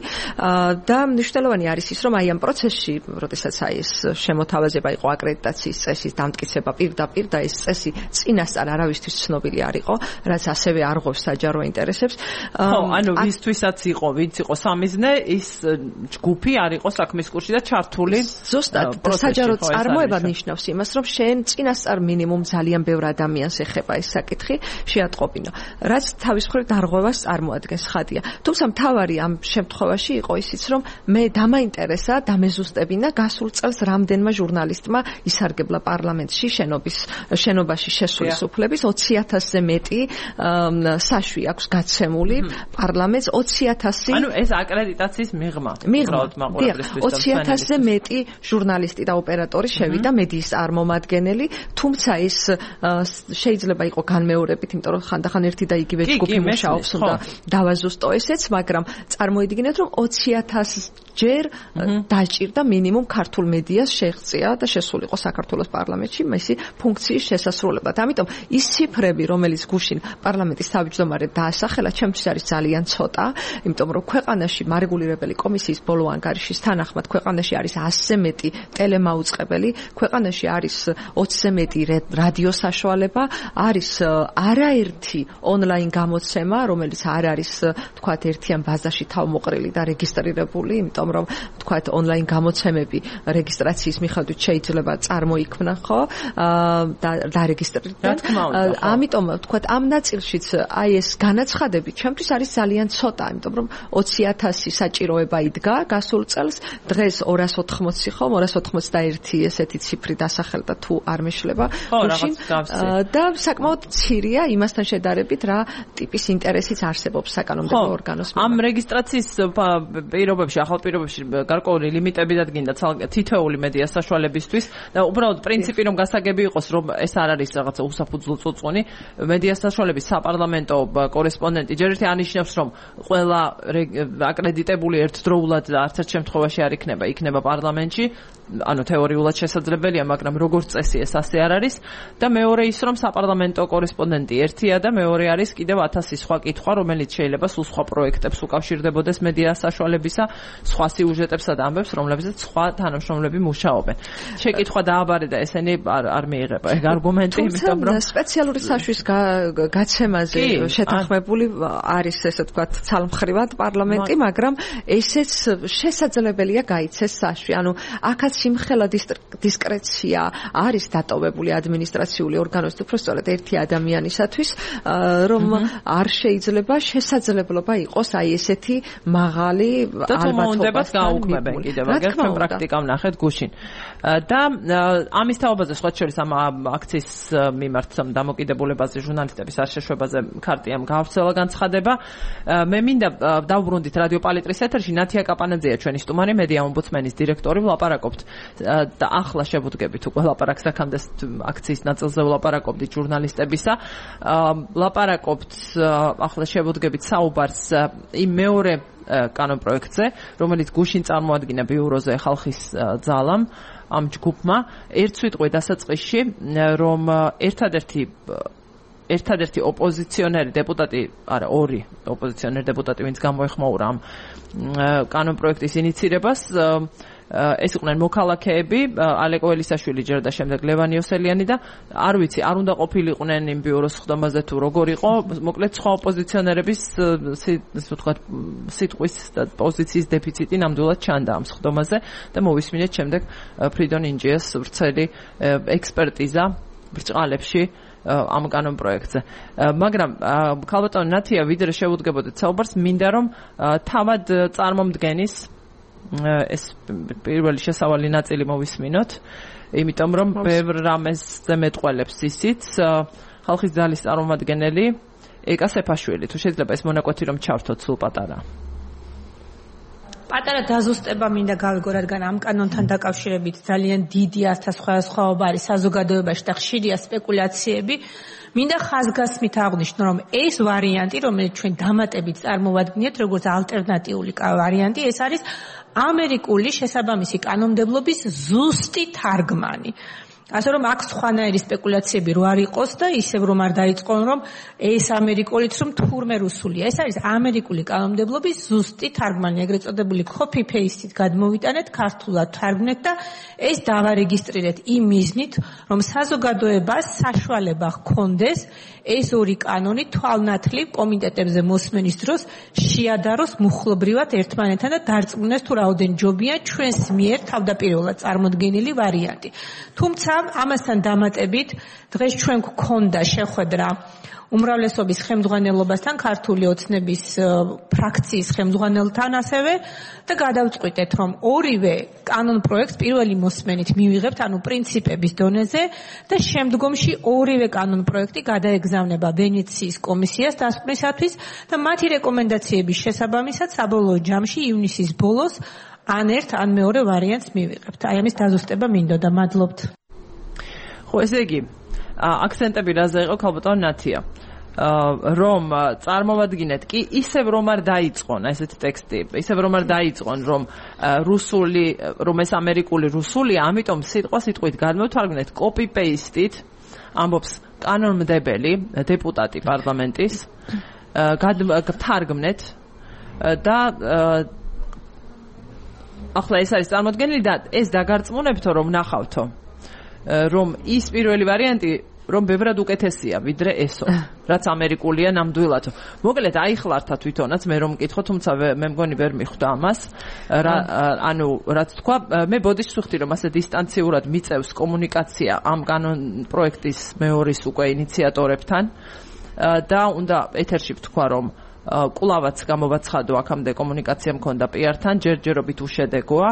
და მნიშვნელოვანი არის ის, რომ აი ამ პროცესში, როდესაც აი ეს შემოთავაზება იყო აკრედიტაციის წესის დამტკიცება პირდაპირ და ეს წესი წინასწარ არავისთვის ცნობილი არ იყო, რაც ასევე არღვევს საჯარო ინტერესებს. ხო, ანუ ვისთვისაც იყო, ვინც იყო სამიზნე, ის ჯგუფი არ იყო საქმის კურსში და ჩართული. ზუსტად, საჯარო წარმოება ნიშნავს იმას, რომ შენ წინასწარ მინიმუმ ძალიან ბევრ ადამიანს ეხება ეს საკითხი, შეატყობინო. რაც თავის მხრივ დარღვევას წარმოადგენს, ხადია. თუმცა მთავარი ამ შემთხვევაში იყო ისიც, რომ მე დამაინტერესა, დამეზუსტებინა გასულ წელს რამდენმა ჟურნალისტმა ისარგებლა პარლამენტში შენობის შენობაში შესული სუფლების ოცი ათასზე მეტი საშვი აქვს გაცემული პარლამენტს ოცი ათასი. ანუ ეს აკრედიტაციის მიღმა. მიღმა. ოცი ათასზე მეტი ჟურნალისტი და ოპერატორი შევიდა მედიის წარმომადგენელი, თუმცა ეს შეიძლება იყო განმეორებით, იმიტომ რომ ხანდახან ერთი და იგივე ჯგუფი მუშაობს და დავაზუსტო ესეც, მაგრამ წარმოიდგინეთ, რომ ოცი ათასი ჯერ დაჭირდა მინიმუმ ქართულ მედიას შეღწია და შესულიყო საქართველოს პარლამენტში მისი ფუნქციის შესასრულებლად. ამიტომ ის ციფრები, რომელიც გუშინ პარლამენტის თავმჯდომარედ დაასახელა, ჩემთვის არის ძალიან ცოტა, იმიტომ რომ ქვეყანაში მარეგულირებელი კომისიის ბოლო ანგარიშის თანახმად ქვეყანაში არის ასზე მეტი ტელემაუწყებელი, ქვეყანაში არის ოცზე მეტი რადიო საშუალება, არის არაერთი ონლაინ გამოცემა, რომელიც არ არის თქვათ ერთიან ბაზაში თავმოყრილი და რეგისტრირებული, იმიტომ რომ თქვათ ონლაინ გამოცემები რეგისტრაციის მიხედვით შეიძლება წარმოიქმნა, ხო? და დარეგისტრირდნენ. ამიტომ თქვათ ამ ნაწილშიც აი ეს განაცხადები ჩემთვის არის ძალიან ცოტა, იმიტომ რომ ოცი ათასი საჭიროება იდგა გასულ წელს, დღეს ორას ოთხმოცი ხომ, ორას ოცდაერთი ესეთი ციფრი დასახელდა თუ არ მეშლება. და საკმაოდ მცირეა იმასთან შედარებით, რა ტიპის ინტერესიც არსებობს საკანონმდებლო ორგანოს. ამ რეგისტრაციის პირობებში, ახალ პირობებში გარკვეული ლიმიტები დადგინდა თითოეული მედიას საშუალებისთვის და უბრალოდ პრინციპი რომ გასაგები იყოს, რომ ეს არ არის რაღაცა უსაფუძვლო წუწუნი, მედიას საშუალების საპარლამენტო კორესპონდენტი ჯერ ერთი ანიშნავს, რომ ყველა აკრედიტებული ერთდროულად და არც ერთ შემთხვევაში არ იქნება, იქნება პარლამენტში, ანუ თეორიულად შესაძლებელია, მაგრამ როგორც წესი ეს ასე არ არის და მეორე ის, რომ საპარლამენტო კორესპონდენტი ერთია და მეორე არის კიდევ ათასი სხვა კითხვა, რომელიც შეიძლება სულ სხვა პროექტებს უკავშირდებოდეს მედიას საშუალებისა, სხვა სიუჟეტებსა და ამბებს, რომლებზეც სხვა თანამშრომლები მუშაობენ. შეკითხვა დააბარე და ესენი არ არ მიიღება ეგ არგუმენტი, იმიტომ რომ სპეციალური საშვის გაცემაზე შეთანხმებული არის, ესე ვთქვათ, ცალმხრივად პარლამენტი, მაგრამ ესეც შესაძლებელია გაიცეს საშვი. ანუ აქაც სიმხელა დისკრეცია არის დატოვებული ადმინისტრაციული ორგანოს, უბრალოდ ერთი ადამიანისათვის, რომ არ შეიძლება შესაძლებლობა იყოს აი ესეთი მაღალი ალბათობა გაუქმებენ კიდევ აგერ ჩვენ პრაქტიკა ვნახეთ გუშინ. და ამის თაობაზე სხვა შორის ამ აქციის მიმართ დამოკიდებულებაზე ჟურნალისტების არ შეშვებაზე ქარტიამ გაავრცელა განცხადება. მე მინდა დავბრუნდით რადიო პალიტრის ეთერში, ნათია კაპანაძეა ჩვენი სტუმარი, მედია ომბუდსმენის დირექტორი, ვლაპარაკობთ და ახლა შევუდგებით უკვე ლაპარაკს აქამდე აქციის ნაწილზე ვლაპარაკობდით ჟურნალისტებისა. ლაპარაკობთ ახლა შევუდგებით საუბარს იმ მეორე კანონპროექტზე, რომელიც გუშინ წარმოადგინა ბიუროზე ხალხის ძალამ, ამ ჯგუფმა, ერთ სიტყვით დასაწყისში, რომ ერთადერთი ერთადერთი ოპოზიციონერი დეპუტატი, არა, ორი ოპოზიციონერი დეპუტატი, ვინც გამოეხმაურა ამ კანონპროექტის ინიცირებას, ეს იყვნენ მოქალაქეები, ალეკო ელისაშვილი ჯერ და შემდეგ ლევან იოსელიანი და არ ვიცი, არ უნდა ყოფილიყვნენ იმ ბიუროს ხდომაზე თუ როგორ იყო, მოკლედ სხვა ოპოზიციონერების ისე ვთქვათ, სიტყვის და პოზიციის დეფიციტი ნამდვილად ჩანდა ამ ხდომაზე და მოვისმინეთ შემდეგ ფრიდონ ინჯიას ვრცელი ექსპერტიზა ბრჭყალებში ამ კანონპროექტზე. მაგრამ ქალბატონი ნათია, ვიდრე შევუდგებოდეთ საუბარს, მინდა რომ თავად წარმომდგენის ეს პირველი შესავალი ნაწილი მოვისმინოთ, იმიტომ რომ ბევრ რამეზე მეტყველებს ისიც ხალხის ძალის წარმომადგენელი ეკა სეფაშვილი. თუ შეიძლება ეს მონაკვეთი რომ ჩავთოთ სულ პატარა. პატარა დაზუსტება მინდა გავიგო, რადგან ამ კანონთან დაკავშირებით ძალიან დიდი ასასხვაობა არის საზოგადოებაში და ხშირია სპეკულაციები. მინდა ხაზგასმით აღვნიშნო, რომ ეს ვარიანტი, რომელიც ჩვენ დამატებით წარმოვადგინეთ, როგორც ალტერნატიული ვარიანტი, ეს არის ამერიკული შესაბამისი კანონმდებლობის ზუსტი თარგმანი. ასე რომ აქ სხვანაირი სპეკულაციები რო არ იყოს და ისევ რომ არ დაიწყონ, რომ ეს ამერიკულიც რომ თურმე რუსულია. ეს არის ამერიკული კანონმდებლობის ზუსტი თარგმანი, ეგრეთ წოდებული copy paste-ით გადმოვიტანეთ, ქართულად თარგმნეთ და ეს დავარეგისტრირეთ იმ მიზნით, რომ საზოგადოებას საშუალება ჰქონდეს ეს ორი კანონი თვალნათლივ კომიტეტებზე მოსმენის დროს შეადაროს მუხლობრივად ერთმანეთთან და დარწმუნდეს თუ რაოდენ ჯობია ჩვენს მიერ თავდაპირველად წარმოდგენილი ვარიანტი. თუმცა ამასთან დამატებით დღეს ჩვენ გვქონდა შეხვედრა უმრავლესობის ხელმძღვანელობასთან, ქართული ოცნების ფრაქციის ხელმძღვანელთან ასევე და გადავწყვიტეთ, რომ ორივე კანონპროექტს პირველი მოსმენით მივიღებთ, ანუ პრინციპების დონეზე და შემდგომში ორივე კანონპროექტი გადაეგზავნება ვენეციის კომისიას დასკვნისათვის და მათი რეკომენდაციების შესაბამისად საბოლოო ჯამში ივნისის ბოლოს ან ერთ ან მეორე ვარიანტს მივიღებთ. აი ამის დაზუსტება მინდოდა. მადლობთ. ხო, ესე იგი, აქცენტები რაზე იყო ქალბატონ ნათია, რომ წარმოვადგინეთ კი ისევ რომ არ დაიწყონ ესეთი ტექსტი, ისევ რომ არ დაიწყონ რომ რუსული, რომ ეს ამერიკული რუსული, ამიტომ სიტყვა სიტყვით გადმოვთარგმნეთ copy paste-ით, ამბობს კანონმდებელი დეპუტატი პარლამენტის, გადმოვთარგმნეთ და ახლა ეს არის წარმოდგენილი და ეს დაგარწმუნებთო რომ ნახავთო რომ ის პირველი ვარიანტი რომ ბევრად უკეთესია ვიდრე ესო, რაც ამერიკულია ნამდვილადო. მოკლედ აიხლართა თვითონაც მე რომ მკითხო, თუმცა მე მგონი ვერ მიხვდა ამას. ანუ რაც თქვა, მე ბოდიშს ვხვდი რომ ასე დისტანციურად მიწევს კომუნიკაცია ამ კანონპროექტის მეორის უკვე ინიციატორებთან და უნდა ეთერში ვთქვა რომ კვლავაც გამოვაცხადო აქამდე კომუნიკაცია მქონდა პი არ-თან, ჯერჯერობით უშედეგოა.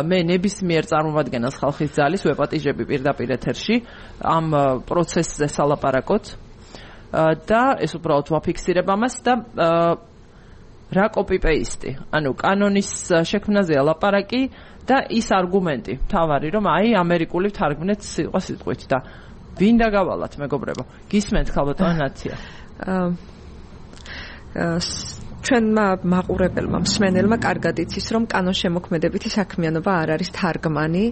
მე ნებისმიერ წარმომადგენელს ხალხის ძალის ვეპატიჟები პირდაპირ ეთერში ამ პროცესზე სალაპარაკოთ და ეს უბრალოდ ვაფიქსირებ ამას და რა copy paste, ანუ კანონის შექმნაზეა ლაპარაკი და ის არგუმენტი თავარი რომ აი ამერიკული თარგმნეთ სიტყვა სიტყვით და ვინ დაგავალათ მეგობრებო, გისმენთ ქალბატონ ნათია? ჩვენმა მაყურებელმა მსმენელმა კარგად იცის რომ კანონშემოქმედებითი საქმიანობა არ არის თარგმანი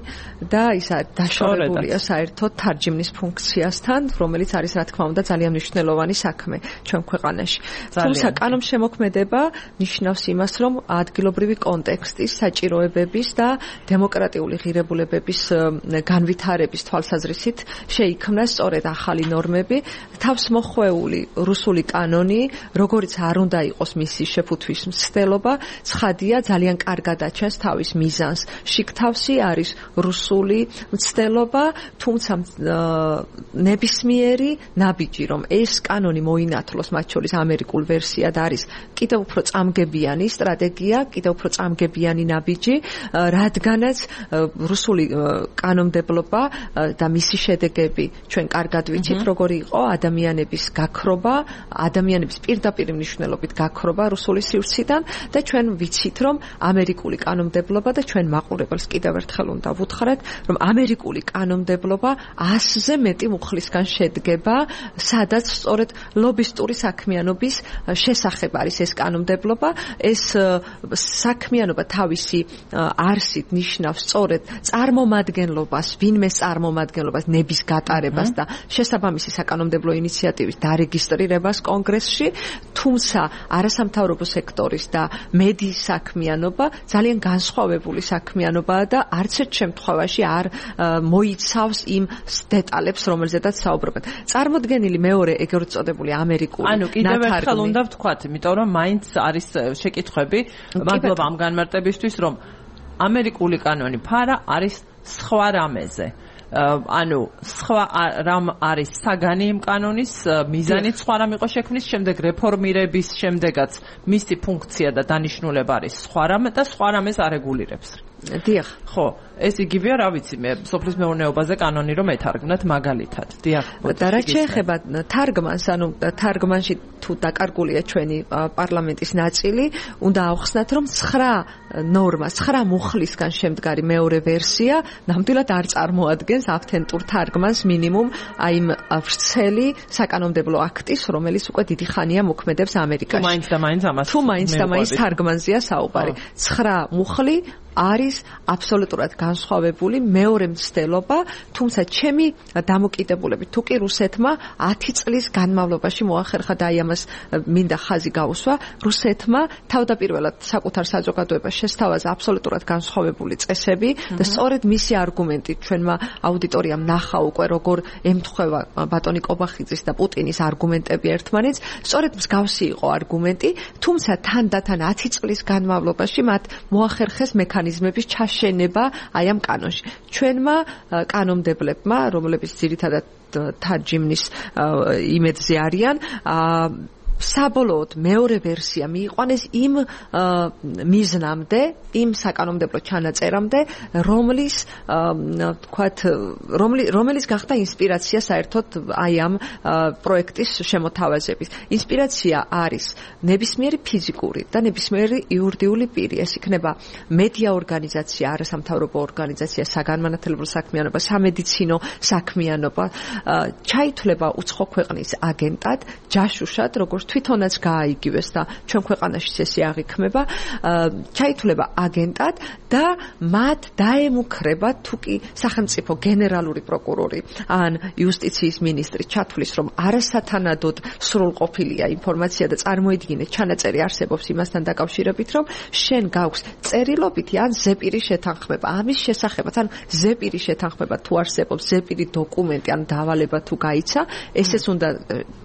და ის დაშორებულია საერთოდ თარჯიმნის ფუნქციასთან, რომელიც არის რა თქმა უნდა ძალიან მნიშვნელოვანი საქმე ჩვენ ქვეყანაში. თუმცა კანონშემოქმედება ნიშნავს იმას, რომ ადგილობრივი კონტექსტის, საჭიროებების და დემოკრატიული ღირებულებების განვითარების თვალსაზრისით შეიქმნა სწორედ ახალი ნორმები, თავს მოხვეული რუსული კანონი, როგორც არ უნდა იყოს მისი შეფუთვის მცდელობა, ცხადია ძალიან კარგად აჩენს თავის მიზანს. შიგთავსი არის რუსული მცდელობა, თუმცა ნებისმიერი ნაბიჯი, რომ ეს კანონი მოინათლოს, მათ შორის ამერიკულ ვერსიად არის კიდევ უფრო წამგებიანი სტრატეგია, კიდევ უფრო წამგებიანი ნაბიჯი, რადგანაც რუსული კანონმდებლობა და მისი შედეგები ჩვენ კარგად ვიცით, როგორი იყო ადამიანების გაქრობა, ადამიანების პირდაპირ მნიშვნელობით გაქრობა რუსული სივრციდან და ჩვენ ვიცით, რომ ამერიკული კანონმდებლობა და ჩვენ მაყურებელს კიდევ ერთხელ უნდა ვუთხრეთ, რომ ამერიკული კანონმდებლობა ასზე მეტი მუხლისგან შედგება, სადაც სწორედ ლობისტური საქმიანობის შესახებ არის ეს კანონმდებლობა. ეს საქმიანობა თავისი არსით ნიშნავს სწორედ წარმომადგენლობას, ვინმე წარმომადგენლობას, ნების გატარებას და შესაბამისი საკანონმდებლო ინიციატივის დარეგისტრირებას კონგრესში, თუმცა არასამთავრობო სექტორის და მედიის საქმიანობა ძალიან განსხვავებული საქმიანობაა და არც ერთ შემთხვევაში არ მოიცავს იმ დეტალებს, რომელზედაც საუბრობენ. წარმოდგენილი მეორე ეგრეთ წოდებული ამერიკული ანუ კიდევ ერთხელ უნდა ვთქვათ, იმიტომ რომ მაინც არის შეკითხვები, მადლობა ამ განმარტებისთვის, რომ ამერიკული კანონი ფარა არის სხვა რამეზე. ანუ სხვა რამ არის საგანი იმ კანონის, მიზანით სხვა რამ იყო შექმნის, შემდეგ რეფორმირების შემდეგაც მისი ფუნქცია და დანიშნულება არის სხვა რამ და სხვა რამეს არეგულირებს. დიახ. ხო, ეს იგივეა, რა ვიცი, მე სოფლის მეურნეობაზე კანონი რომ ეთარგმნათ მაგალითად. დიახ. და რაც შეეხება თარგმანს, ანუ თარგმანში თუ დაკარგულია ჩვენი პარლამენტის ნაწილი, უნდა ავხსნათ, რომ ცხრა ნორმა, ცხრა მუხლისგან შემდგარი მეორე ვერსია ნამდვილად არ წარმოადგენს ავთენტურ თარგმანს მინიმუმ აი იმ ვრცელი საკანონმდებლო აქტის, რომელიც უკვე დიდი ხანია მოქმედებს ამერიკაში. თუ მაინც და მაინც ამას თუ მაინც და მაინც თარგმანზეა საუბარი. ცხრა მუხლი არის აბსოლუტურად განსხვავებული მეორე მცდელობა, თუმცა ჩემი დამოკიდებულებით თუ კი რუსეთმა ათი წლის განმავლობაში მოახერხა და აი ამას მინდა ხაზი გაუსვა, რუსეთმა თავდაპირველად საკუთარ საზოგადოებას შესთავაზა აბსოლუტურად განსხვავებული წესები და სწორედ მისი არგუმენტით ჩვენმა აუდიტორიამ ნახა უკვე როგორ ემთხვევა ბატონი კობახიძის და პუტინის არგუმენტები ერთმანეთს, სწორედ მსგავსი იყო არგუმენტი, თუმცა თანდათან ათი წლის განმავლობაში მათ მოახერხეს მექანიზმების ჩაშენება აი ამ კანონში. ჩვენმა კანონმდებლებმა, რომლებიც ძირითადად თარჯიმნის იმედზე არიან, საბოლოოდ მეორე ვერსია მიიყვანეს იმ მიზნამდე, იმ საკანონმდებლო ჩანაწერამდე, რომლის თქვათ, რომელიც გახდა ინსპირაცია საერთოდ აი ამ პროექტის შემოთავაზების. ინსპირაცია არის ნებისმიერი ფიზიკური და ნებისმიერი იურიდიული პირი. ეს იქნება მედია ორგანიზაცია, არასამთავრობო ორგანიზაცია, საგანმანათლებლო საქმიანობა, სამედიცინო საქმიანობა, ჩაითვლება უცხო ქვეყნის აგენტად, ჯაშუშად, როგორც თვითონაც გააიგივეს და ჩვენ ქვეყანაშიც ესე აღიქმება, ჩაითვლება აგენტად და მათ დაემუქრება თუ კი სახელმწიფო გენერალური პროკურორი ან იუსტიციის მინისტრი ჩათვლის, რომ არასათანადოდ სრულყოფილია ინფორმაცია და წარმოიდგინეთ ჩანაწერი არსებობს იმასთან დაკავშირებით, რომ შენ გაქვს წერილობითი ან ზეპირი შეთანხმება ამის შესახებაც, ან ზეპირი შეთანხმება თუ არსებობს, ზეპირი დოკუმენტი ან დავალება თუ გაიცა, ესეც უნდა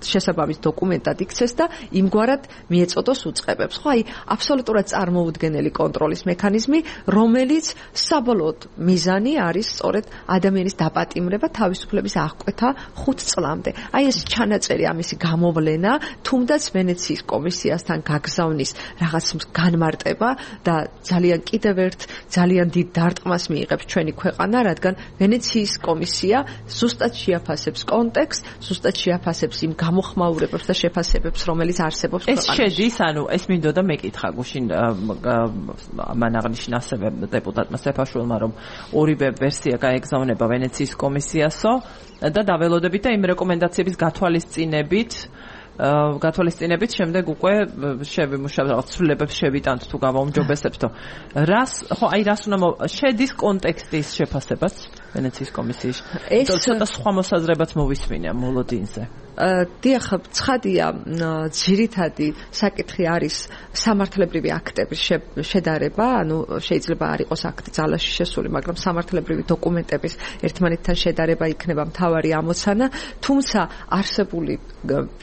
შესაბამის დოკუმენტად იქცეს და იმგვარად მიეწოდოს უწყებებს. ხო, აი აბსოლუტურად წარმოუდგენელი კონტროლის მექანიზმი, რომელიც საბოლოოდ მიზანი არის სწორედ ადამიანის დაპატიმრება, თავისუფლების აღკვეთა ხუთ წლამდე. აი ეს ჩანაწერი, ამისი გამოვლენა, თუნდაც ვენეციის კომისიასთან გაგზავნის რაღაც განმარტება და ძალიან კიდევ ერთ ძალიან დიდ დარტყმას მიიღებს ჩვენი ქვეყანა, რადგან ვენეციის კომისია ზუსტად შეაფასებს კონტექსტს, ზუსტად შეაფასებს იმ გამოხმაურებებს და შეფასებებს, რომელიც არსებობს ქვეყანაში. ეს შედის, ანუ ეს მინდოდა მეკითხა გუშინ მან აღნიშნა ასევე დეპუტატმა სეფაშვილმა, რომ ორივე ვერსია გაეგზავნება ვენეციის კომისიასო და დაველოდებით და იმ რეკომენდაციების გათვალისწინებით გათვალისწინებით შემდეგ უკვე შევიმუშავებთ, ცვლილებებს შევიტანთ თუ გავაუმჯობესებთ. რას, ხო, აი რას უნდა შედის კონტექსტის შეფასებას ვენეციის კომისიაში? ეს ცოტა სხვა მოსაზრებაც მოვისმინე მოლოდინზე. დიახ, ცხადია, ძირითადი საკითხი არის სამართლებრივი აქტების შედარება, ანუ შეიძლება არ იყოს აქტი ძალაში შესული, მაგრამ სამართლებრივი დოკუმენტების ერთმანეთთან შედარება იქნება მთავარი ამოცანა, თუმცა არსებული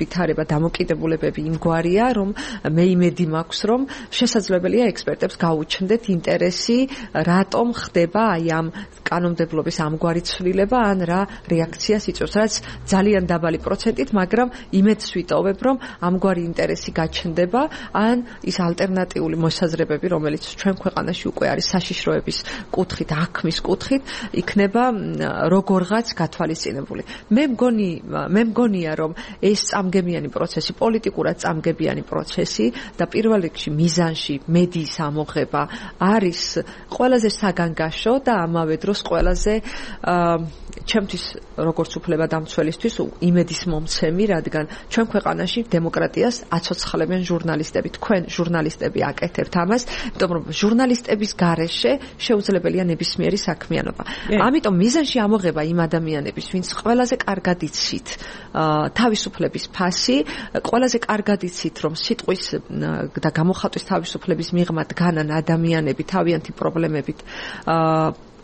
ვითარება დამოკიდებულებები იმგვარია, რომ მე იმედი მაქვს, რომ შესაძლებელია ექსპერტებს გაუჩნდეთ ინტერესი, რატომ ხდება აი ამ კანონმდებლობის არის ამგვარი ცვლილება ან რა რეაქციას იწვევს, რაც ძალიან დაბალი პროცენტით, მაგრამ იმედს ვიტოვებ, რომ ამგვარი ინტერესი გაჩნდება, ან ის ალტერნატიული მოსაზრებები, რომელიც ჩვენ ქვეყანაში უკვე არის საშიშროების კუთხით, აქმის კუთხით, იქნება როგორღაც გათვალისწინებული. მე მგონი, მე მგონია, რომ ეს წამგებიანი პროცესი, პოლიტიკურად წამგებიანი პროცესი და პირველ რიგში მიზანში მედიის ამოღება არის ყველაზე საგანგაშო და ამავე დროს ყველაზე ჩემთვის როგორც უფლებადამცველისთვის იმედის მომცემი, რადგან ჩვენ ქვეყანაში დემოკრატიას აცოცხლებენ ჟურნალისტები. თქვენ ჟურნალისტები აკეთებთ ამას, იმიტომ რომ ჟურნალისტების გარეშე შეუძლებელია ნებისმიერი საქმიანობა. ამიტომ მიზანში ამოღება იმ ადამიანების, ვინც ყველაზე კარგად იცით თავისუფლების ფასი, ყველაზე კარგად იცით, რომ სიტყვის და გამოხატვის თავისუფლების მიღმა დგანან ადამიანები თავიანთი პრობლემებით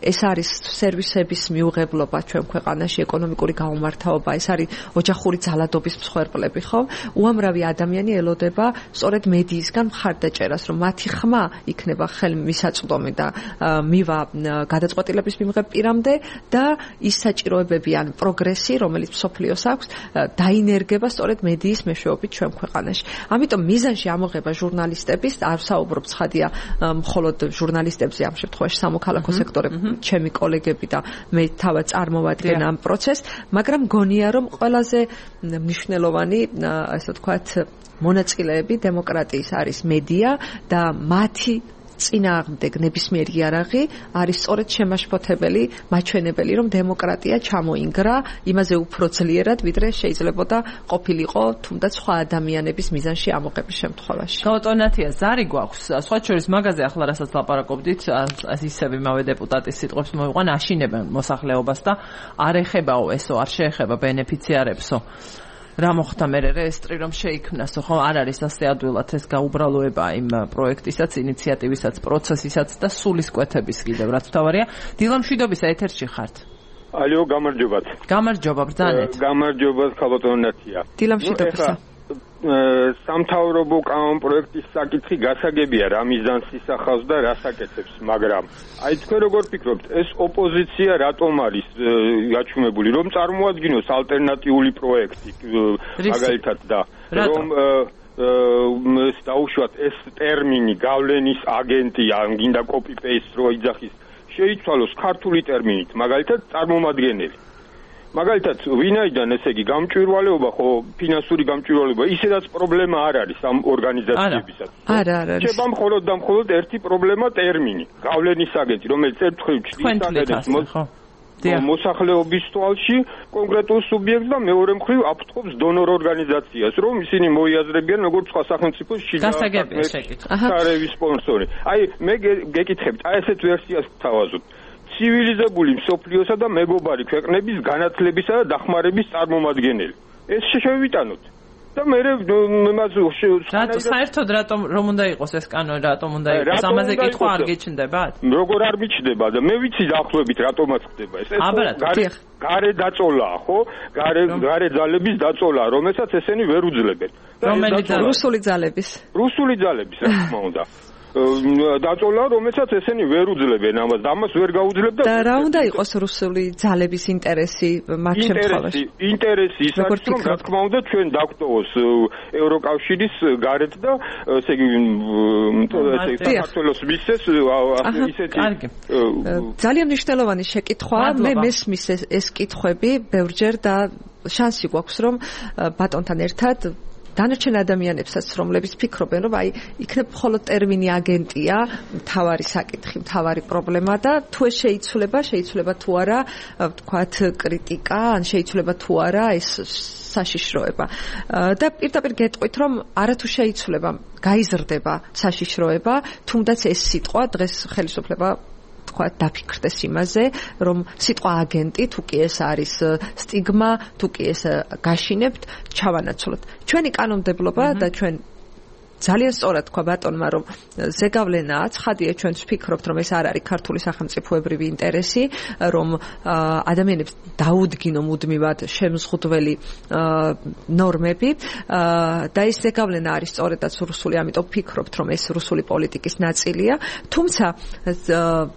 ეს არის სერვისების მიუღებლობა ჩვენ ქვეყანაში, ეკონომიკური გაუმართავობა, ეს არის ოჯახური ძალადობის მსხვერპლები, ხო? უამრავი ადამიანი ელოდება სწორედ მედიისგან მხარდაჭერას, რომ მათი ხმა იქნება ხელმისაწვდომი და მივა გადაწყვეტილების მიმღებ პირამდე და ის საჭიროებები ან პროგრესი, რომელიც მსოფლიოს აქვს, დაინერგება სწორედ მედიის მეშვეობით ჩვენ ქვეყანაში. ამიტომ მიზანში ამოღება ჟურნალისტების, არ ვსაუბრობ ცხადია მხოლოდ ჟურნალისტებზე, ამ შემთხვევაში სამოქალაქო სექტორებში ჩემი კოლეგები და მე თავად წარმოვადგენ ამ პროცესს, მაგრამ გონია რომ ყველაზე მნიშვნელოვანი, ასე ვთქვათ, მონაწილეები დემოკრატიის არის მედია და მათი წინააღმდეგ ნებისმიერი იარაღი არის სწორედ შემაშფოთებელი, მაჩვენებელი, რომ დემოკრატია ჩამოინგრა იმაზე უფრო ძლიერად, ვიდრე შეიძლებოდა ყოფილიყო თუნდაც სხვა ადამიანების მიზანში ამოღების შემთხვევაში. გაუტონათია ზარი გვაქვს. სხვა შორის მაგაზე ახლა რასაც ლაპარაკობდით, ისევ იმავე დეპუტატის სიტყვებს მოვიყვან, აშინებენ მოსახლეობას და არ ეხებაო ესო, არ შეეხება ბენეფიციარებსო. რა მოხდა მე რეესტრი რომ შეიქმნასო, ხო? არ არის ასე ადვილად ეს გაუბრალოება იმ პროექტისაც, ინიციატივისაც, პროცესისაც და სულისკვეთების კიდევ რაც თავარია. დილა მშვიდობისა, ეთერში ხართ. ალიო, გამარჯობათ. გამარჯობა, ბრძანეთ. გამარჯობა, ხალხონათია. დილა მშვიდობისა. სამთავრობო კანონპროექტის საკითხი გასაგებია, რა მიზანს ისახავს და რას აკეთებს, მაგრამ აი თქვენ როგორ ფიქრობთ, ეს ოპოზიცია რატომ არის გაჩუმებული, რომ წარმოადგინოს ალტერნატიული პროექტი, მაგალითად და რომ დაუშვათ ეს ტერმინი გავლენის აგენტი, ან გინდა copy-paste რო იძახის, შეიცვალოს ქართული ტერმინით, მაგალითად წარმომადგენელი. მაგალითად, ვინაიდან ესე იგი გამჭვირვალეობა, ხო, ფინანსური გამჭვირვალეობა, ისედაც პრობლემა არ არის ამ ორგანიზაციებისაც. არა, არ არის. შეება მხოლოდ და მხოლოდ ერთი პრობლემა ტერმინი, გავლენის აგენტი, რომელიც ერთხელ ჩნდება მოსახლეობის თვალში კონკრეტულ სუბიექტს და მეორე მხრივ აფრთხობს დონორ ორგანიზაციას, რომ ისინი მოიაზრებიან როგორც სხვა სახელმწიფოს შინაარსების სპონსორი. აი, მე გეკითხებთ, აი ესეთ ვერსიას გთავაზობთ. ცივილიზებული მსოფლიოსა და მეგობარი ქვეყნების განათლებისა და დახმარების წარმომადგენელი. ეს შევიტანოთ. და მე მას რატო საერთოდ რატომ რომ უნდა იყოს ეს კანონი, რატომ უნდა იყოს? ამაზე კითხვა არ გეჩნდებათ? როგორ არ მიჩნდება და მე ვიცი დაახლოებით რატომაც ხდება ეს. ეს გარე დაწოლაა, ხო? გარე გარე ძალების დაწოლაა, რომელსაც ესენი ვერ უძლებენ. რომელი ძალები? რუსული ძალების. რუსული ძალების, რა თქმა უნდა. დაწოლა, რომელსაც ესენი ვერ უძლებენ ამას და ამას ვერ გაუძლებ და და რა უნდა იყოს რუსული ძალების ინტერესი მათ შემთხვევაში? ინტერესი ის არის, რომ რა თქმა უნდა ჩვენ დაგვტოვოს ევროკავშირის გარეთ და ესე იგი საქართველოს მისცეს ისეთი ძალიან მნიშვნელოვანი შეკითხვაა. მე მესმის ეს კითხვები ბევრჯერ და შანსი გვაქვს რომ ბატონთან ერთად დანარჩენ ადამიანებსაც, რომლებიც ფიქრობენ, რომ აი იქნებ მხოლოდ ტერმინი აგენტია, მთავარი საკითხი, მთავარი პრობლემა და თუ ეს შეიცვლება, შეიცვლება თუ არა, ვთქვათ, კრიტიკა, ან შეიცვლება თუ არა ეს საშიშროება. და პირდაპირ გეტყვით, რომ არათუ შეიცვლება, გაიზრდება საშიშროება, თუნდაც ეს სიტყვა დღეს ხელისუფლება თქვა დაფიქრდეს იმაზე, რომ სიტყვა აგენტი თუ კი ეს არის სტიგმა, თუ კი ეს გაშინებთ, ჩავანაცვლოთ. ჩვენი კანონმდებლობა და ჩვენ ძალიან სწორად თქვა ბატონმა, რომ ზეგავლენაა, ცხადია ჩვენც ვფიქრობთ, რომ ეს არ არის ქართული სახელმწიფოებრივი ინტერესი, რომ ადამიანებს დაუდგინო მუდმივად შემზღუდველი ნორმები და ეს ზეგავლენა არის სწორედაც რუსული, ამიტომ ვფიქრობთ, რომ ეს რუსული პოლიტიკის ნაწილია. თუმცა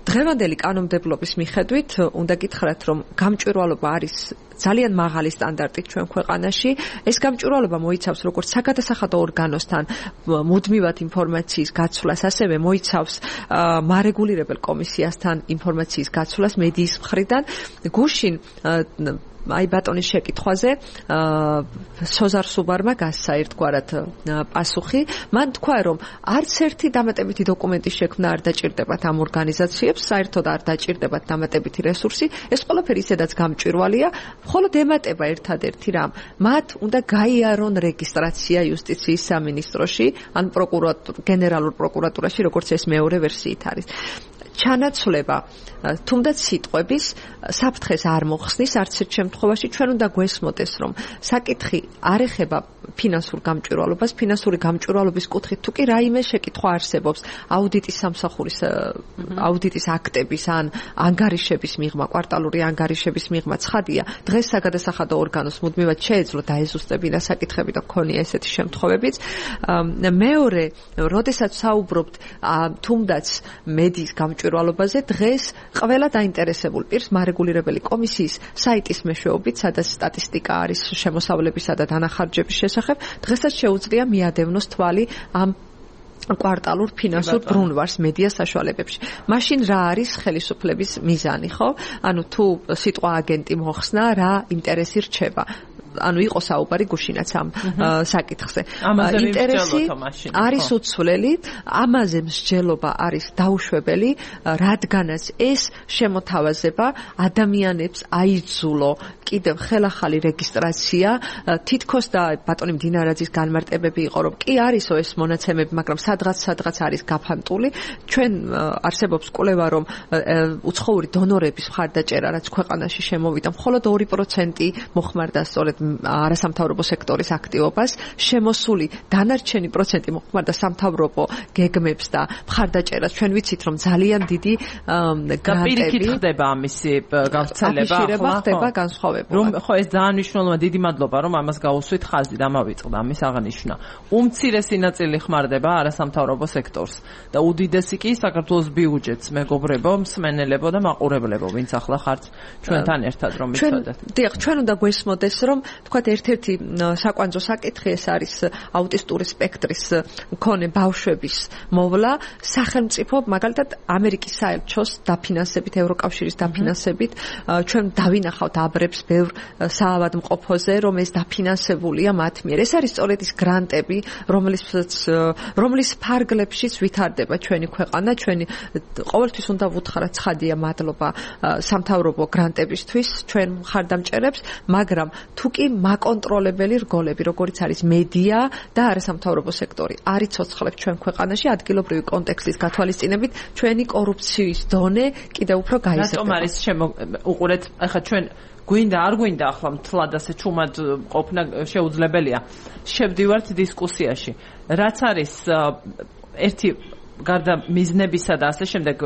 დღევანდელი კანონმდებლობის მიხედვით უნდა გითხრათ, რომ გამჭვირვალობა არის ძალიან მაღალი სტანდარტით ჩვენ ქვეყანაში. ეს გამჭვირვალობა მოიცავს როგორც საგადასახადო ორგანოსთან მუდმივად ინფორმაციის გაცვლას, ასევე მოიცავს მარეგულირებელ კომისიასთან ინფორმაციის გაცვლას მედიის მხრიდან. გუშინ აი ბატონის შეკითხვაზე სოზარ სუბარმა გასცა ერთგვარად პასუხი. მან თქვა, რომ არც ერთი დამატებითი დოკუმენტის შექმნა არ დაჭირდებათ ამ ორგანიზაციებს, საერთოდ არ დაჭირდებათ დამატებითი რესურსი. ეს ყველაფერი ისედაც გამჭვირვალეა, მხოლოდ ემატება ერთადერთი რამ. მათ უნდა გაიარონ რეგისტრაცია იუსტიციის სამინისტროში, ან პროკურატურ გენერალურ პროკურატურაში, როგორც ეს მეორე ვერსიით არის. ჩანაცვლება თუნდაც სიტყვების საფრთხეს არ მოხსნის არც ერთ შემთხვევაში. ჩვენ უნდა გვესმოდეს, რომ საკითხი არ ეხება ფინანსურ გამჭვირვალობას, ფინანსური გამჭვირვალობის კუთხით თუ კი რაიმე შეკითხვა არსებობს აუდიტის სამსახურის აუდიტის აქტების ან ანგარიშების მიღმა, კვარტალური ანგარიშების მიღმა, ცხადია, დღეს საგადასახადო ორგანოს მუდმივად შეეძლო დაეზუსტებინა საკითხები და ქონია ესეთი შემთხვევებიც. მეორე, როდესაც საუბრობთ თუნდაც მედიის გამჭვირვალობაზე, დღეს ყველა დაინტერესებულ პირს მარეგულირებელი კომისიის საიტის მეშვეობით, სადაც სტატისტიკა არის შემოსავლებისა და დანახარჯების შესახებ, დღესაც შეუძლია მიადევნოს თვალი ამ კვარტალურ ფინანსურ ბრუნვარს მედია საშუალებებში. მაშინ რა არის ხელისუფლების მიზანი, ხო? ანუ თუ სიტყვა აგენტი მოხსნა, რა ინტერესი რჩება? ანუ იყო საუბარი გუშინაც ამ საკითხზე. ინტერესი არის უცვლელი, ამაზე მსჯელობა არის დაუშვებელი, რადგანაც ეს შემოთავაზება ადამიანებს აიძულო კიდევ ხელახალი რეგისტრაცია, თითქოს და ბატონი მდინარაძის განმარტებები იყო, რომ კი არისო ეს მონაცემები, მაგრამ სადღაც სადღაც არის გაფანტული. ჩვენ არსებობს კვლევა, რომ უცხოური დონორების მხარდაჭერა, რაც ქვეყანაში შემოვიდა, მხოლოდ ორი პროცენტი მოხმარდა სწორედ არასამთავრობო სექტორის აქტივობას, შემოსული დანარჩენი პროცენტი მოხმარდა სამთავრობო გეგმებს და მხარდაჭერას. ჩვენ ვიცით, რომ ძალიან დიდი გრანტები ხდება ამისი გავრცელება, ხდება განსხვავებულად. რომ ხო ეს ძალიან მნიშვნელოვანია, დიდი მადლობა, რომ ამას გაუსვით ხაზი და მავიწყდა ამის აღნიშვნა. უმცირესი ნაწილი ხმარდება არასამთავრობო სექტორს და უდიდესი კი საქართველოს ბიუჯეტს, მეგობრებო, მსმენელებო და მაყურებლებო, ვინც ახლა ხართ ჩვენთან ერთად რომ მიცოდეთ. დიახ, ჩვენ უნდა გვესმოდეს, რომ თქვათ ერთ-ერთი საკვანძო საკითხი ეს არის აუტისტური სპექტრის მქონე ბავშვების მოვლა სახელმწიფო, მაგალითად ამერიკის საელჩოს დაფინანსებით, ევროკავშირის დაფინანსებით. ჩვენ დავინახავთ აბრებს ბევრ საავადმყოფოზე, რომ ეს დაფინანსებულია მათ მიერ. ეს არის სწორედ ის გრანტები, რომლის რომლის ფარგლებშიც ვითარდება ჩვენი ქვეყანა. ჩვენი ყოველთვის უნდა ვუთხრათ ცხადია მადლობა სამთავრობო გრანტებისთვის ჩვენ მხარდამჭერებს, მაგრამ თუ კი მაკონტროლებელი რგოლები, როგორიც არის მედია და არასამთავრობო სექტორი, არ იცოცხლებს ჩვენ ქვეყანაში ადგილობრივი კონტექსტის გათვალისწინებით, ჩვენი კორუფციის დონე კიდევ უფრო გაიზრდება. რატომ არის უყურეთ, ახლა ჩვენ გვინდა არ გვინდა ახლა მთლად ასე ჩუმად ყოფნა შეუძლებელია. შევდივართ დისკუსიაში. რაც არის ერთი გარდა მიზნებისა და ასე შემდეგ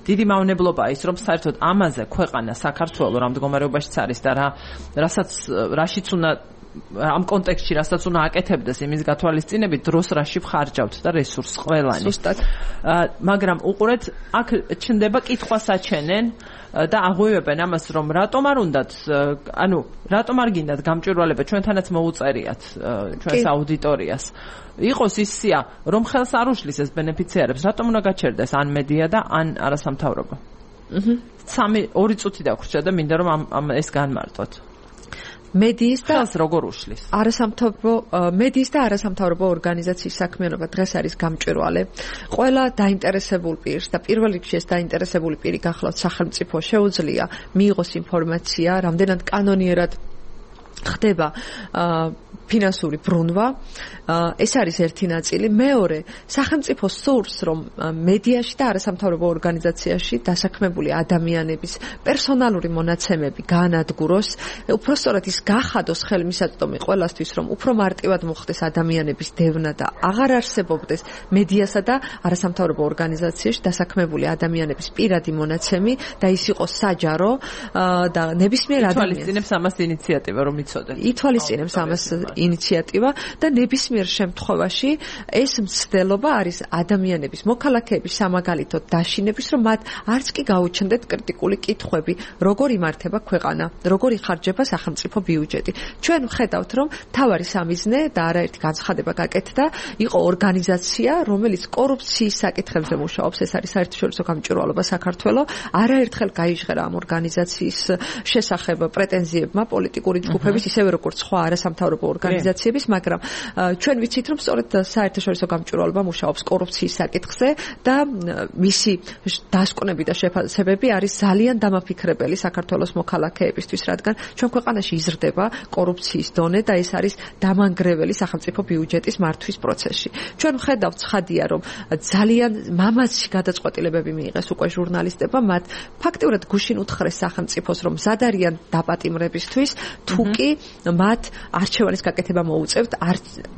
დიდი მავნებლობაა ის, რომ საერთოდ ამაზე ქვეყანა საქართველოს რა მდგომარეობაშიც არის და რა რასაც რაშიც უნდა ამ კონტექსტში რასაც უნდა აკეთებდეს იმის გათვალისწინებით დროს რაში ვხარჯავთ და რესურსს ყველანი. ზუსტად. მაგრამ უყურეთ, აქ ჩნდება კითხვა საჩენენ და აღვივებენ ამას, რომ რატომ არ უნდათ, ანუ რატომ არ გინდათ გამჭვირვალება, ჩვენთანაც მოუწერიათ ჩვენს აუდიტორიას. იყოს ის სია, რომ ხელს არ უშლის ეს ბენეფიციარებს, რატომ უნდა გაჩერდეს ან მედია და ან არასამთავრობო. აჰა. სამი ორი წუთი დაგვრჩა და მინდა რომ ამ ეს განმარტოთ. მედიის და ხელს როგორ უშლის? არასამთავრობო მედიის და არასამთავრობო ორგანიზაციის საქმიანობა დღეს არის გამჭვირვალე. ყველა დაინტერესებულ პირს და პირველ რიგში ეს დაინტერესებული პირი გახლავთ სახელმწიფო შეუძლია მიიღოს ინფორმაცია, რამდენად კანონიერად ხდება ფინანსური ბრუნვა. ეს არის ერთი ნაწილი. მეორე, სახელმწიფო სურს, რომ მედიაში და არასამთავრობო ორგანიზაციაში დასაქმებული ადამიანების პერსონალური მონაცემები გაანადგუროს, უпростоრად ის გახადოს ხელმისაწვდომი ყველასთვის, რომ უფრო მარტივად მოხდეს ადამიანების დევნა და აღარ არსებობდეს მედიასა და არასამთავრობო ორგანიზაციაში დასაქმებული ადამიანების პირადი მონაცემი და ის იყოს საჯარო და ნებისმიერ ადამიანს ითვალისწინებს ამას ინიციატივა, რომ იცოდეთ. ითვალისწინებს ამას ინიციატივა და ნებისმიერ შემთხვევაში ეს მცდელობა არის ადამიანების მოქალაქეების სამაგალითოდ დაშინების, რომ მათ არც კი გაუჩნდეთ კრიტიკული კითხვები, როგორ იმართება ქვეყანა, როგორ იხარჯება სახელმწიფო ბიუჯეტი. ჩვენ ვხედავთ, რომ თავარი სამიზნე და არაერთი განცხადება გაკეთდა, იყო ორგანიზაცია, რომელიც კორუფციის საკითხებზე მუშაობს, ეს არის საერთაშორისო გამჭვირვალობა საქართველოს. არაერთხელ გაიჟღერა ამ ორგანიზაციის შესახებ პრეტენზიებმა პოლიტიკური ჯგუფების, ისევე როგორც სხვა არასამთავრობო ორგანიზაციების, მაგრამ ჩვენ ვიცით, რომ სწორედ საერთაშორისო გამჭვირვალობა მუშაობს კორუფციის საკითხზე და მისი დასკვნები და შეფასებები არის ძალიან დამაფიქრებელი საქართველოს მოქალაქეებისთვის, რადგან ჩვენ ქვეყანაში იზრდება კორუფციის დონე და ეს არის დამანგრეველი სახელმწიფო ბიუჯეტის მართვის პროცესში. ჩვენ ვხედავთ ცხადია, რომ ძალიან მამაცი გადაწყვეტილებები მიიღეს უკვე ჟურნალისტებმა, მათ ფაქტიურად გუშინ უთხრეს სახელმწიფოს, რომ მზად არიან დაპატიმრებისთვის, თუ კი მათ არჩევანის გაკეთება მოუწევთ,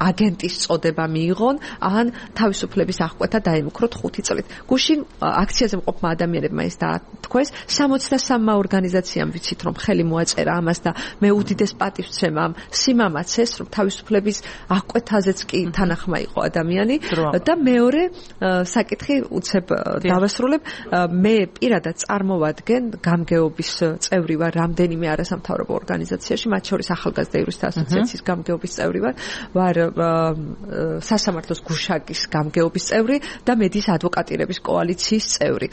აგენტის წოდება მიიღონ, ან თავისუფლების აღკვეთა დაემუქროთ ხუთი წლით. გუშინ აქციაზე მყოფმა ადამიანებმა ეს დაათქვეს, სამოცდასამმა ორგანიზაციამ ვიცით, რომ ხელი მოაწერა ამას და მე უდიდეს პატივს ვცემ ამ სიმამაცეს, რომ თავისუფლების აღკვეთაზეც კი თანახმა იყო ადამიანი და მეორე საკითხი უცებ დავასრულებ, მე პირადად წარმოვადგენ გამგეობის წევრი ვარ რამდენიმე არასამთავრობო ორგანიზაციაში, მათ შორის ახალგაზრდა იურისტთა ასოციაციის გამგეობის წევრი ვარ, ვარ სასამართლოს გუშაგის გამგეობის წევრი და მედიის ადვოკატირების კოალიციის წევრი.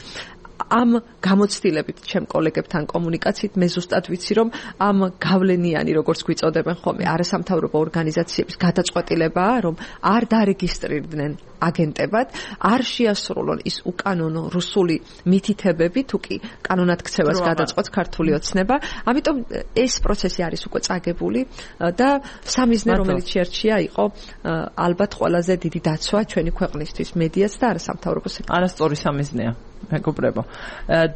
ამ გამოცდილებით ჩემ კოლეგებთან კომუნიკაციით მე ზუსტად ვიცი, რომ ამ გავლენიანი, როგორც გვიწოდებენ ხოლმე, არასამთავრობო ორგანიზაციების გადაწყვეტილებაა, რომ არ დარეგისტრირდნენ აგენტებად, არ შეასრულონ ის უკანონო რუსული მითითებები, თუ კი კანონად ქცევას გადაწყვეტს ქართული ოცნება. ამიტომ ეს პროცესი არის უკვე წაგებული და სამიზნე, რომელიც შეარჩია, იყო ალბათ ყველაზე დიდი დაცვა ჩვენი ქვეყნისთვის, მედიას და არასამთავრობო სექტორს. არასწორი სამიზნეა. მეგობრებო.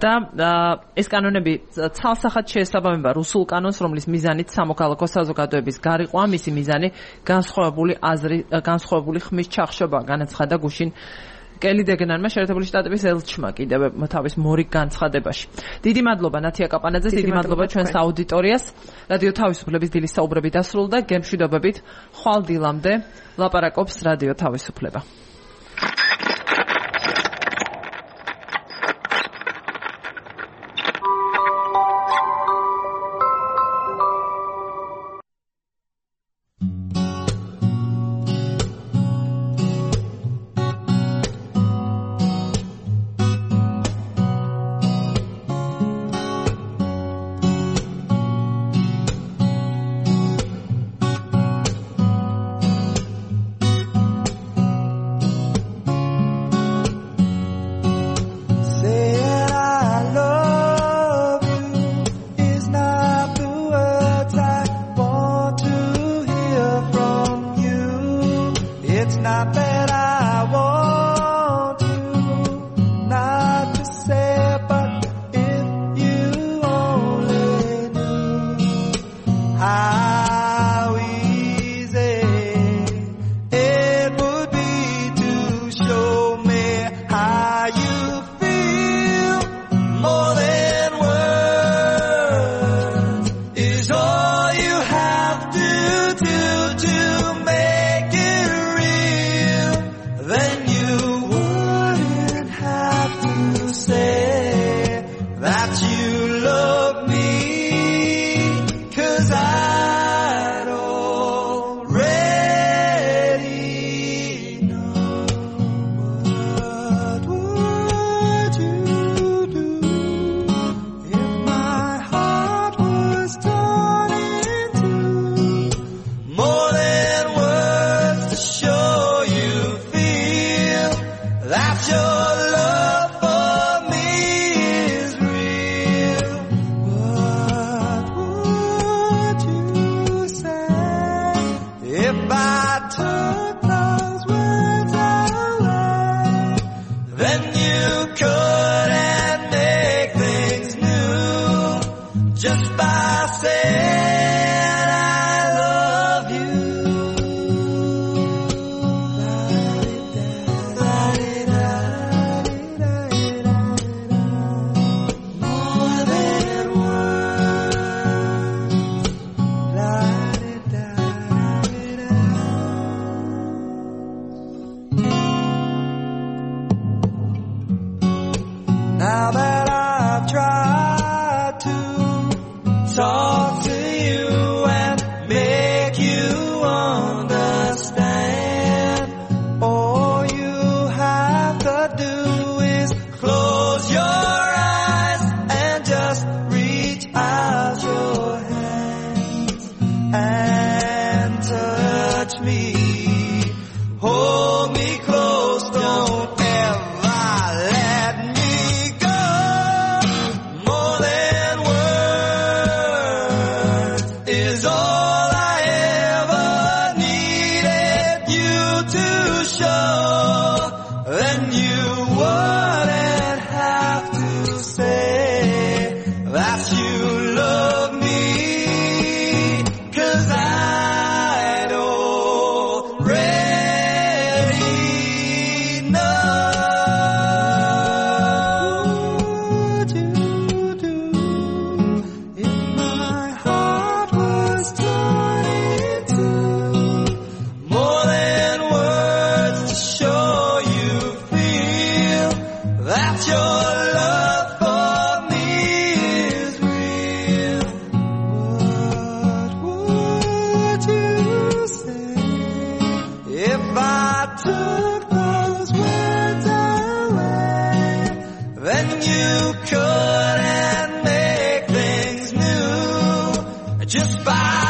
და ეს კანონები ცალსახად შეესაბამება რუსულ კანონს, რომლის მიზანით სამოქალაქო საზოგადოების გარიყვა, მისი მიზანი განსხვავებული აზრი, განსხვავებული ხმის ჩახშობა, განაცხადა გუშინ კელი დეგენანმა შეერთებული შტატების ელჩმა კიდევ თავის მორიგ განცხადებაში. დიდი მადლობა ნათია კაპანაძეს, დიდი მადლობა ჩვენს აუდიტორიას. რადიო თავისუფლების დილის საუბრები დასრულდა, გემშვიდობებით, ხვალ დილამდე ლაპარაკობს რადიო თავისუფლება. Now that I've tried to talk to you and make you understand, all you have to do is close your eyes and just reach out your hands and touch me, hold me close, don't just by